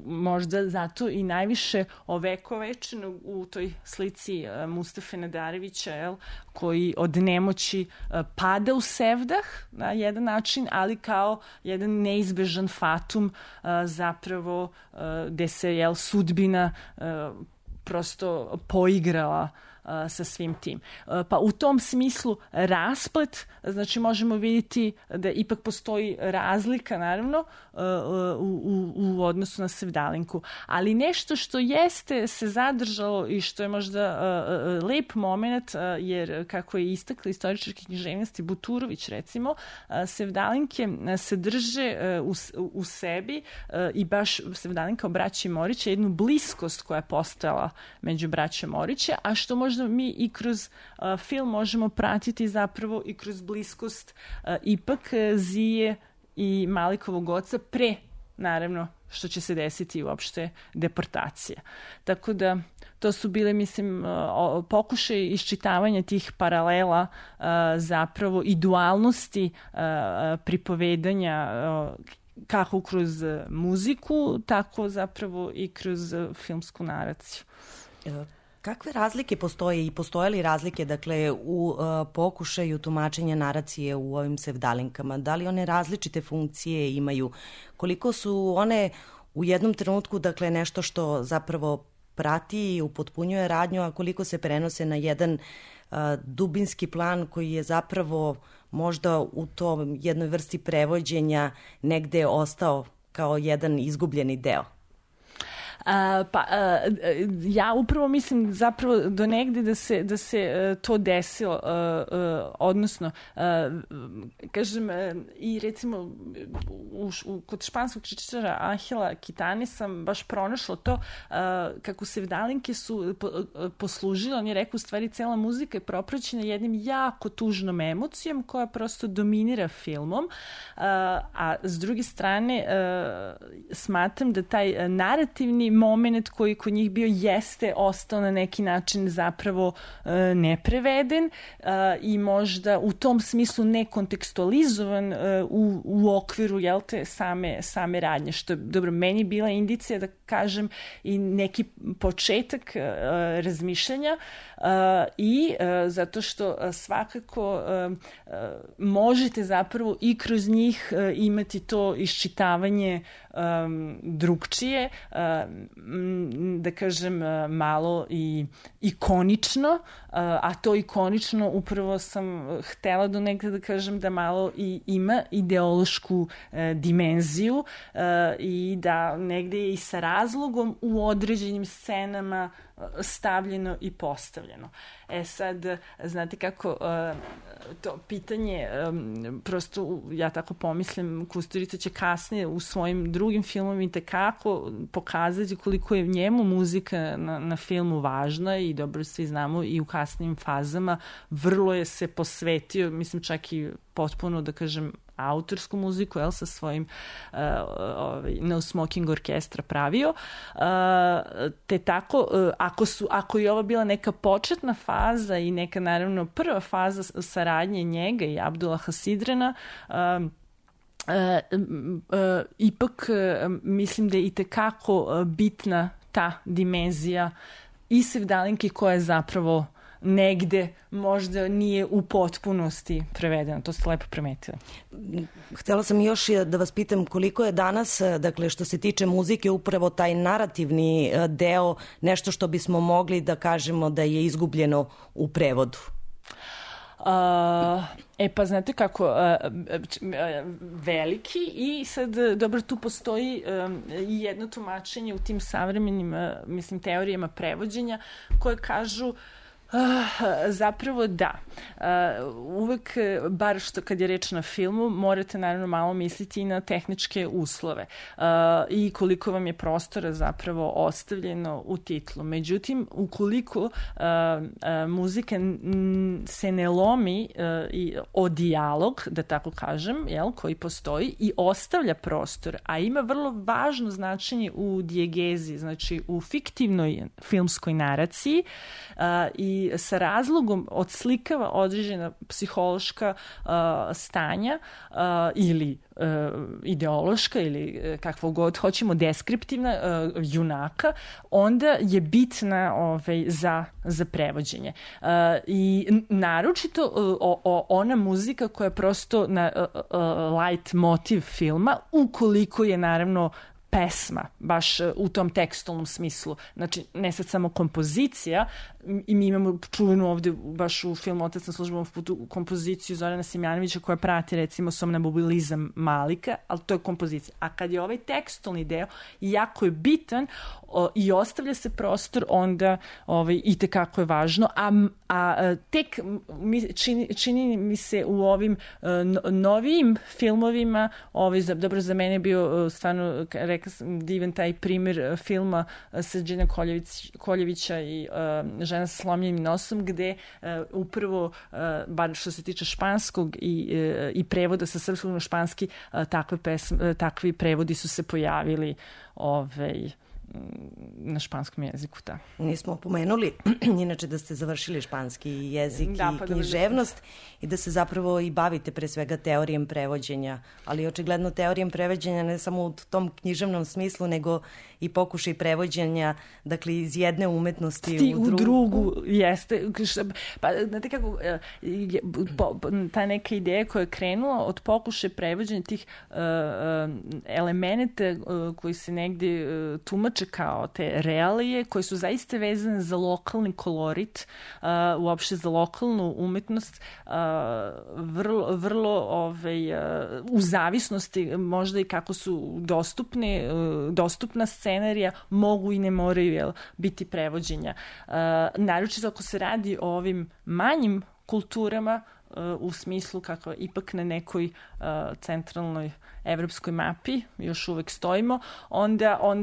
možda zato i najviše ovekovečeno u toj slici Mustafe Nadarevića, koji od nemoći pada u sevdah na jedan način, ali kao jedan neizbežan fatum zapravo gde se sudbina prosto poigrala sa svim tim. Pa u tom smislu rasplet, znači možemo vidjeti da ipak postoji razlika naravno u odnosu na Sevdalinku, ali nešto što jeste se zadržalo i što je možda lep moment, jer kako je istakla istoričarke književnosti Buturović recimo, Sevdalinke se drže u sebi i baš Sevdalinka o braći Morić je jednu bliskost koja je postojala među braćom Morića, a što možda mi i kroz film možemo pratiti zapravo i kroz bliskost ipak Zije i Malikovog oca pre, naravno, što će se desiti uopšte deportacija. Tako da to su bile, mislim, pokušaj iščitavanja tih paralela zapravo i dualnosti pripovedanja kako kroz muziku, tako zapravo i kroz filmsku naraciju. Kakve razlike postoje i postoje li razlike, dakle, u pokušaju tumačenja naracije u ovim Sevdalinkama? Da li one različite funkcije imaju? Koliko su one u jednom trenutku, dakle, nešto što zapravo prati i upotpunjuje radnju, a koliko se prenose na jedan dubinski plan koji je zapravo možda u tom jednoj vrsti prevođenja negde ostao kao jedan izgubljeni deo? Ja upravo mislim zapravo do negde da se to desilo, odnosno kažem i recimo kod španskog kritičara Angela Kitani sam baš pronašla to kako Sevdalinke su poslužile, on je rekao u stvari cela muzika je propraćena jednim jako tužnom emocijom koja prosto dominira filmom, a s druge strane smatram da taj narativni moment koji kod njih bio jeste ostao na neki način zapravo nepreveden i možda u tom smislu nekontekstualizovan u okviru same radnje, što je dobro meni bila indicija da kažem i neki početak razmišljanja i zato što svakako možete zapravo i kroz njih imati to iščitavanje drugčije, da kažem malo i ikonično, a to ikonično upravo sam htela do negde da kažem da malo i ima ideološku dimenziju i da negde je i sa razlogom u određenim scenama stavljeno i postavljeno. Sad, znate kako to pitanje, prosto ja tako pomislim, Kusturica će kasnije u svojim drugim filmovima itekako pokazati koliko je njemu muzika na filmu važna i dobro svi znamo i u kasnim fazama vrlo je se posvetio, mislim čak i potpuno da kažem autorsku muziku, sa svojim No Smoking orkestra pravio. Te tako, ako je ovo bila neka početna faza i neka naravno prva faza saradnje njega i Abdullaha Sidrena, ipak mislim da je itekako bitna ta dimenzija i Sevdalinke koja je zapravo negde možda nije u potpunosti prevedeno. To ste lepo primetili. Htela sam još da vas pitam koliko je danas, dakle što se tiče muzike, upravo taj narativni deo nešto što bismo mogli da kažemo da je izgubljeno u prevodu. Pa znate kako, veliki i sad, dobro, tu postoji i jedno tumačenje u tim savremenim, teorijama prevođenja koje kažu zapravo da. Uvek, bar što kad je reč na filmu, morate naravno malo misliti i na tehničke uslove i koliko vam je prostora zapravo ostavljeno u titlu. Međutim, ukoliko muzika se ne lomi o dijalog, da tako kažem, koji postoji i ostavlja prostor, a ima vrlo važno značenje u dijegezi, znači u fiktivnoj filmskoj naraciji i sa razlogom odslikava određena psihološka stanja ili ideološka ili kakvo god hoćemo, deskriptivna junaka, onda je bitna za prevođenje. I naročito ona muzika koja je prosto light motiv filma, ukoliko je naravno pesma, baš u tom tekstualnom smislu. Znači, ne sad samo kompozicija, i mi imamo čuvenu ovde baš u filmu Otac na službenom putu kompoziciju Zorana Simjanovića koja prati recimo somnambulizam Malika, ali to je kompozicija. A kad je ovaj tekstualni deo jako je bitan i ostavlja se prostor, onda i tekako je važno, a tek čini mi se u ovim novijim filmovima, dobro, za mene je bio stvarno, rekla sam, divan taj primjer filma Srđana Koljevića i Žena sa slomljenim nosom, gde upravo, bar što se tiče španskog i prevoda sa srpskog na španski, takvi prevodi su se pojavili na španskom jeziku, da. Nismo pomenuli, inače da ste završili španski jezik i književnost i da se zapravo i bavite pre svega teorijem prevođenja, ali očigledno teorijem prevođenja ne samo u tom književnom smislu, nego i pokušaj prevođenja, dakle, iz jedne umetnosti u drugu. Jeste. Pa, znate kako, ta neka ideja koja je krenula od pokušaja prevođenja tih elemenata koji se negdje tumače kao te realije, koje su zaista vezane za lokalni kolorit, uopšte za lokalnu umetnost, vrlo u zavisnosti možda i kako su dostupna scenarija, mogu i ne moraju biti prevođenja. Naročito ako se radi o ovim manjim kulturama, u smislu kako ipak na nekoj centralnoj evropskoj mapi još uvek stojimo, onda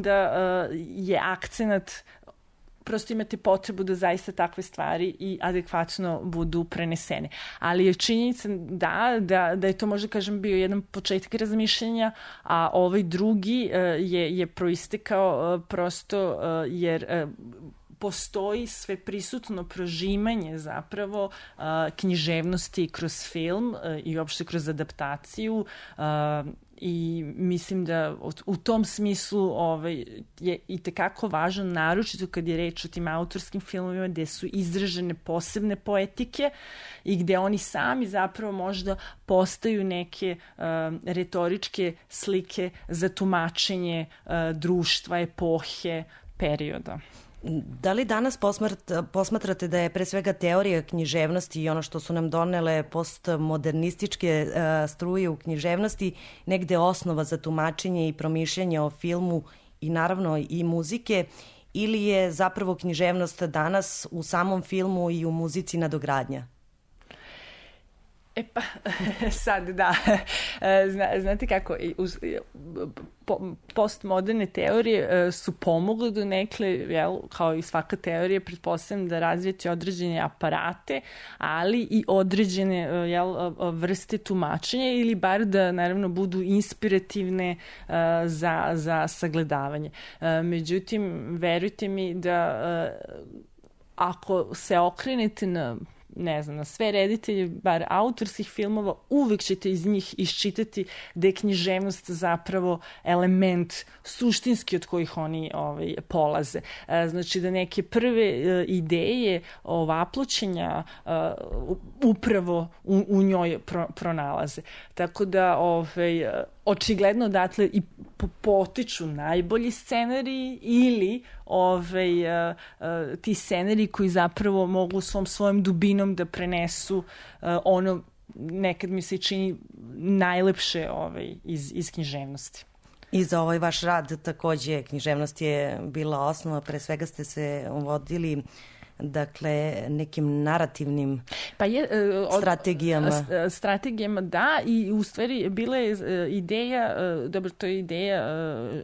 je akcenat, prosto imate potrebu da zaista takve stvari i adekvatno budu prenesene. Ali je činjenica da je to, možda kažem, bio jedan početak razmišljenja, a ovaj drugi je proistekao prosto jer postoji sve prisutno prožimanje zapravo književnosti kroz film i uopšte kroz adaptaciju i mislim da u tom smislu je i tekako važno, naročito kad je reč o tim autorskim filmovima gde su izražene posebne poetike i gde oni sami zapravo možda postaju neke retoričke slike za tumačenje društva, epohe, perioda. Da li danas posmatrate da je pre svega teorija književnosti i ono što su nam donele postmodernističke struje u književnosti negde osnova za tumačenje i promišljanje o filmu i naravno i muzike, ili je zapravo književnost danas u samom filmu i u muzici nadogradnja? Pa, sad da, znate kako, postmoderne teorije su pomogle do nekle, kao i svaka teorija, pretpostavljam da razvijete određene aparate, ali i određene vrste tumačenja ili bar da naravno budu inspirativne za sagledavanje. Međutim, verujte mi da ako se okrenete na ne znam, na sve reditelje, bar autorskih filmova, uvek ćete iz njih iščitati da je književnost zapravo element suštinski od kojih oni polaze. Znači da neke prve ideje ovaploćenja upravo u njoj pronalaze. Tako da očigledno odatle i potiču najbolji scenariji ili ti scenariji koji zapravo mogu svojom dubinom da prenesu ono, nekad mi se čini, najlepše iz književnosti. I za ovaj vaš rad takođe književnost je bila osnova, pre svega ste se vodili nekim narativnim strategijama, da, i u stvari bila je ideja, dobro, to je ideja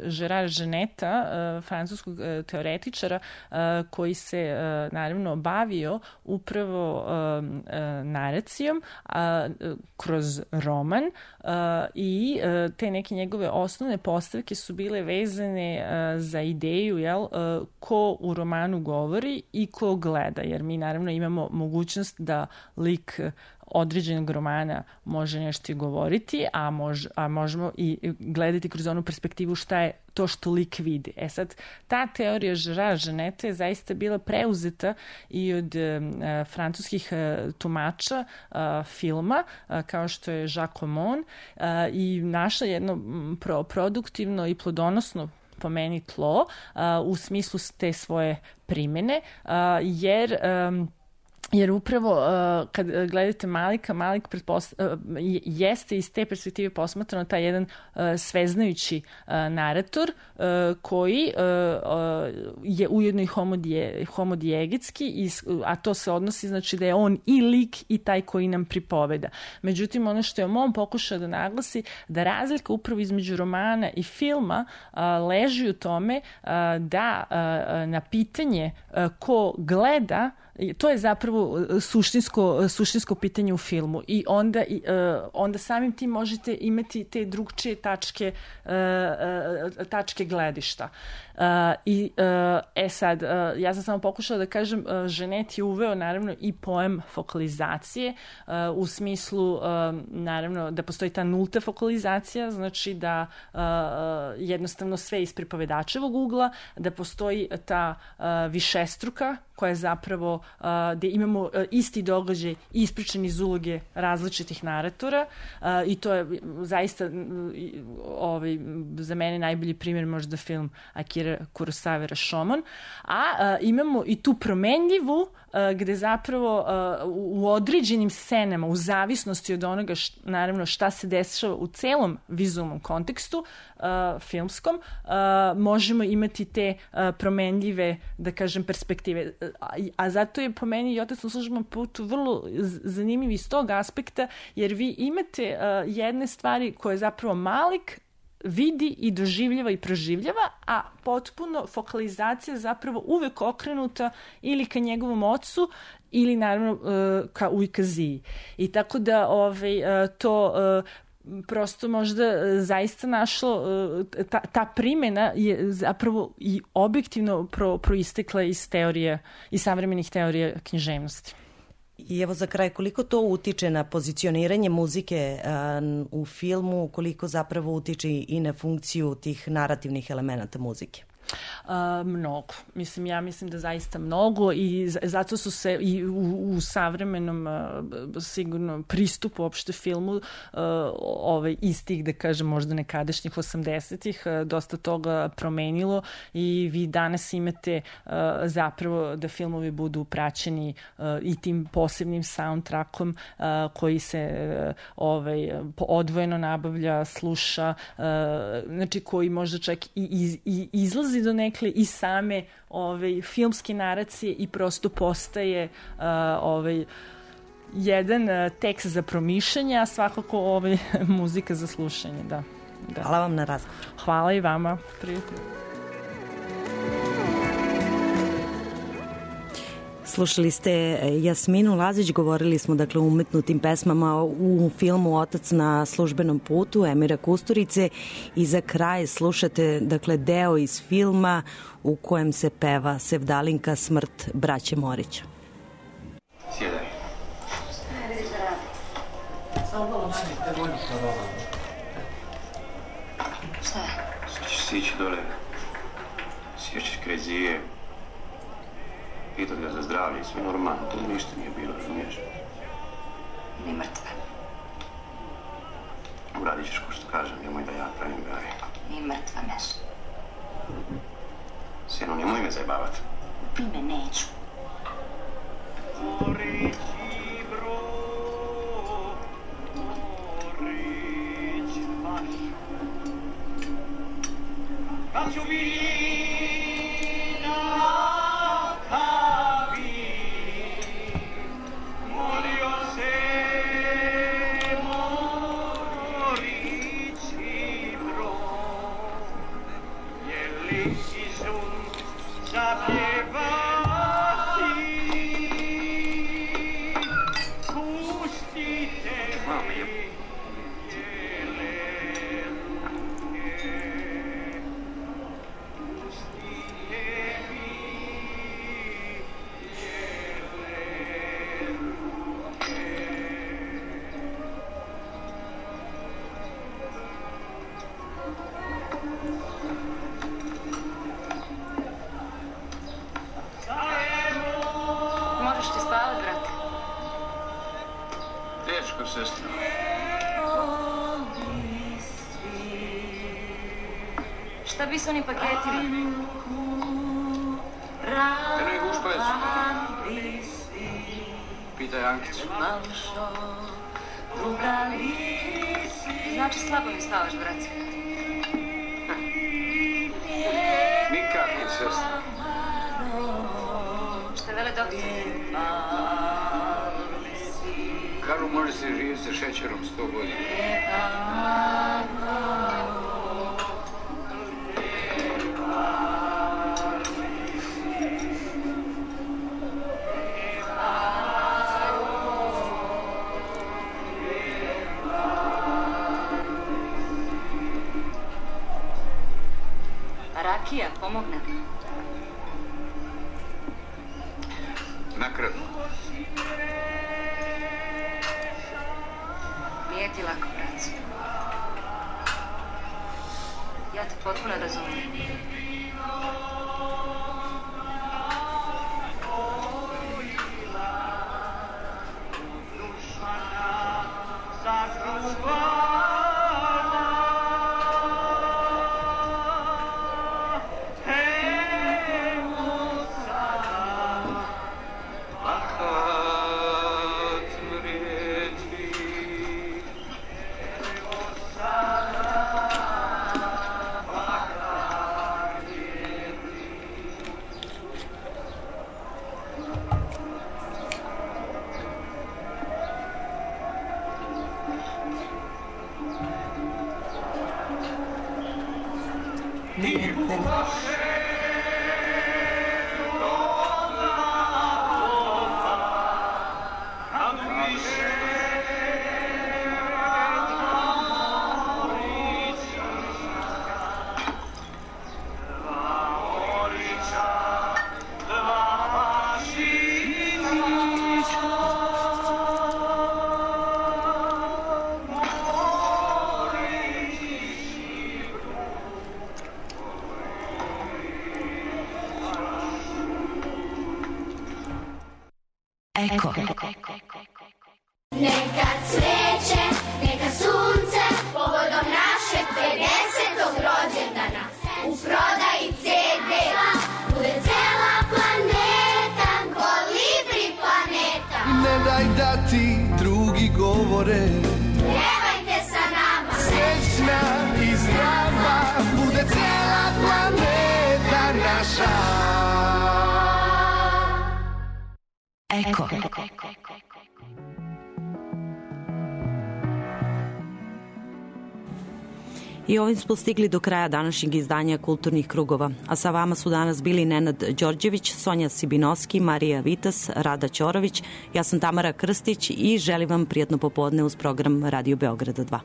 Gérard Geneta, francuskog teoretičara, koji se naravno bavio upravo naracijom kroz roman, i te neke njegove osnovne postavke su bile vezane za ideju, ko u romanu govori i ko gleda, jer mi naravno imamo mogućnost da lik određenog romana može nešto i govoriti, a možemo i gledati kroz onu perspektivu šta je to što lik vidi. Sad, ta teorija Gérard Geneta je zaista bila preuzeta i od francuskih tumača filma, kao što je Jacques Aumont, i našla jedno produktivno i plodonosno, po meni, tlo u smislu te svoje primene, jer upravo kad gledate Malika, Malik jeste iz te perspektive posmatrano taj jedan sveznajući narator koji je ujedno i homodijegetski, a to se odnosi, znači da je on i lik i taj koji nam pripoveda. Međutim, ono što je Aumont pokušao da naglasi, da razlika upravo između romana i filma leži u tome da na pitanje ko gleda, to je zapravo suštinsko pitanje u filmu, i onda samim tim možete imati te drugčije tačke gledišta. Sad, ja sam samo pokušala da kažem, Genet je uveo naravno i pojem fokalizacije, u smislu naravno da postoji ta nulta fokalizacija, znači da jednostavno sve iz pripovedačevog ugla, da postoji ta višestruka koja je zapravo gde imamo isti događaj ispričan iz uloge različitih naratora, i to je zaista za mene najbolji primjer možda film Akira Kurosawa Rashomon, a imamo i tu promenljivu gde zapravo u određenim scenama, u zavisnosti od onoga naravno šta se dešava u celom vizualnom kontekstu filmskom, možemo imati te promenljive, da kažem, perspektive. A zato je po meni i Otac na službenom putu vrlo zanimljiv iz tog aspekta, jer vi imate jedne stvari koje zapravo Malik vidi i doživljava i proživljava, a potpuno fokalizacija zapravo uvek okrenuta ili ka njegovom ocu ili naravno ka Ujkaziji. I tako da to prosto možda zaista našlo, ta primjena je zapravo i objektivno proistekla iz teorije, iz savremenih teorija književnosti. I evo za kraj, koliko to utiče na pozicioniranje muzike u filmu, koliko zapravo utiče i na funkciju tih narativnih elemenata muzike? Mnogo. Ja mislim da zaista mnogo, i zato su se i u savremenom sigurno pristupu uopšte filmu iz tih, da kažem, možda nekadašnjih 80-ih dosta toga promenilo, i vi danas imate zapravo da filmovi budu praćeni i tim posebnim soundtrackom koji se odvojeno nabavlja, sluša, znači koji možda čak i izlazi do nekle i same filmske naracije i prosto postaje jedan tekst za promišljanje, a svakako muzika za slušanje. Da. Hvala vam na razgovor. Hvala i vama. Prijatno. Slušali ste Jasminu Lazić, govorili smo o umetnutim pesmama u filmu Otac na službenom putu Emira Kusturice, i za kraj slušate deo iz filma u kojem se peva Sevdalinka, smrt braće Morića. Sjedaj. Šta je? Sad ćeš sići dole, sješćeš kraj zije, pitat ga za zdravlje i sve normalno, to ništa nije bilo, razumiješ? Ni mrtva. Uradit ćeš ko što kažem, nemoj da ja pravim gari. Ni mrtva, Meš. Sjeno, nemoj me zajebavat. Ubi me, neću. Kad ću bili na kavi, molio se Morić i Brod, je li Isun zapjevati, pustite mi. Moraš ti spavat, brate. Teško, sestra. Šta bi s onim paketima? Eno ih ušpajec. Pitaj Ankicu. Znači slabo mi spavaš, brate. Nikako, sestra. Šta vele doktor? Kažu može se živjeti sa šećerom 100 godina. Rakija, pomogne. Nakratko. Nije ti lako, bracu. Ja te potpuno razumijem. Eko. Neka cveće, neka sunce, povodom našeg 50. rođendana. U prodaji CD bude cela planeta, kolibri planeta. Ne daj da ti drugi govore, Pjevajte sa nama. srećna i zdrava bude cela planeta naša. Eko. I ovim smo stigli do kraja današnjeg izdanja Kulturnih krugova. A sa vama su danas bili Nenad Đorđević, Sonja Sibinovski, Marija Vitas, Rada Ćorović, ja sam Tamara Krstić i želim vam prijatno popodne uz program Radio Beograda 2.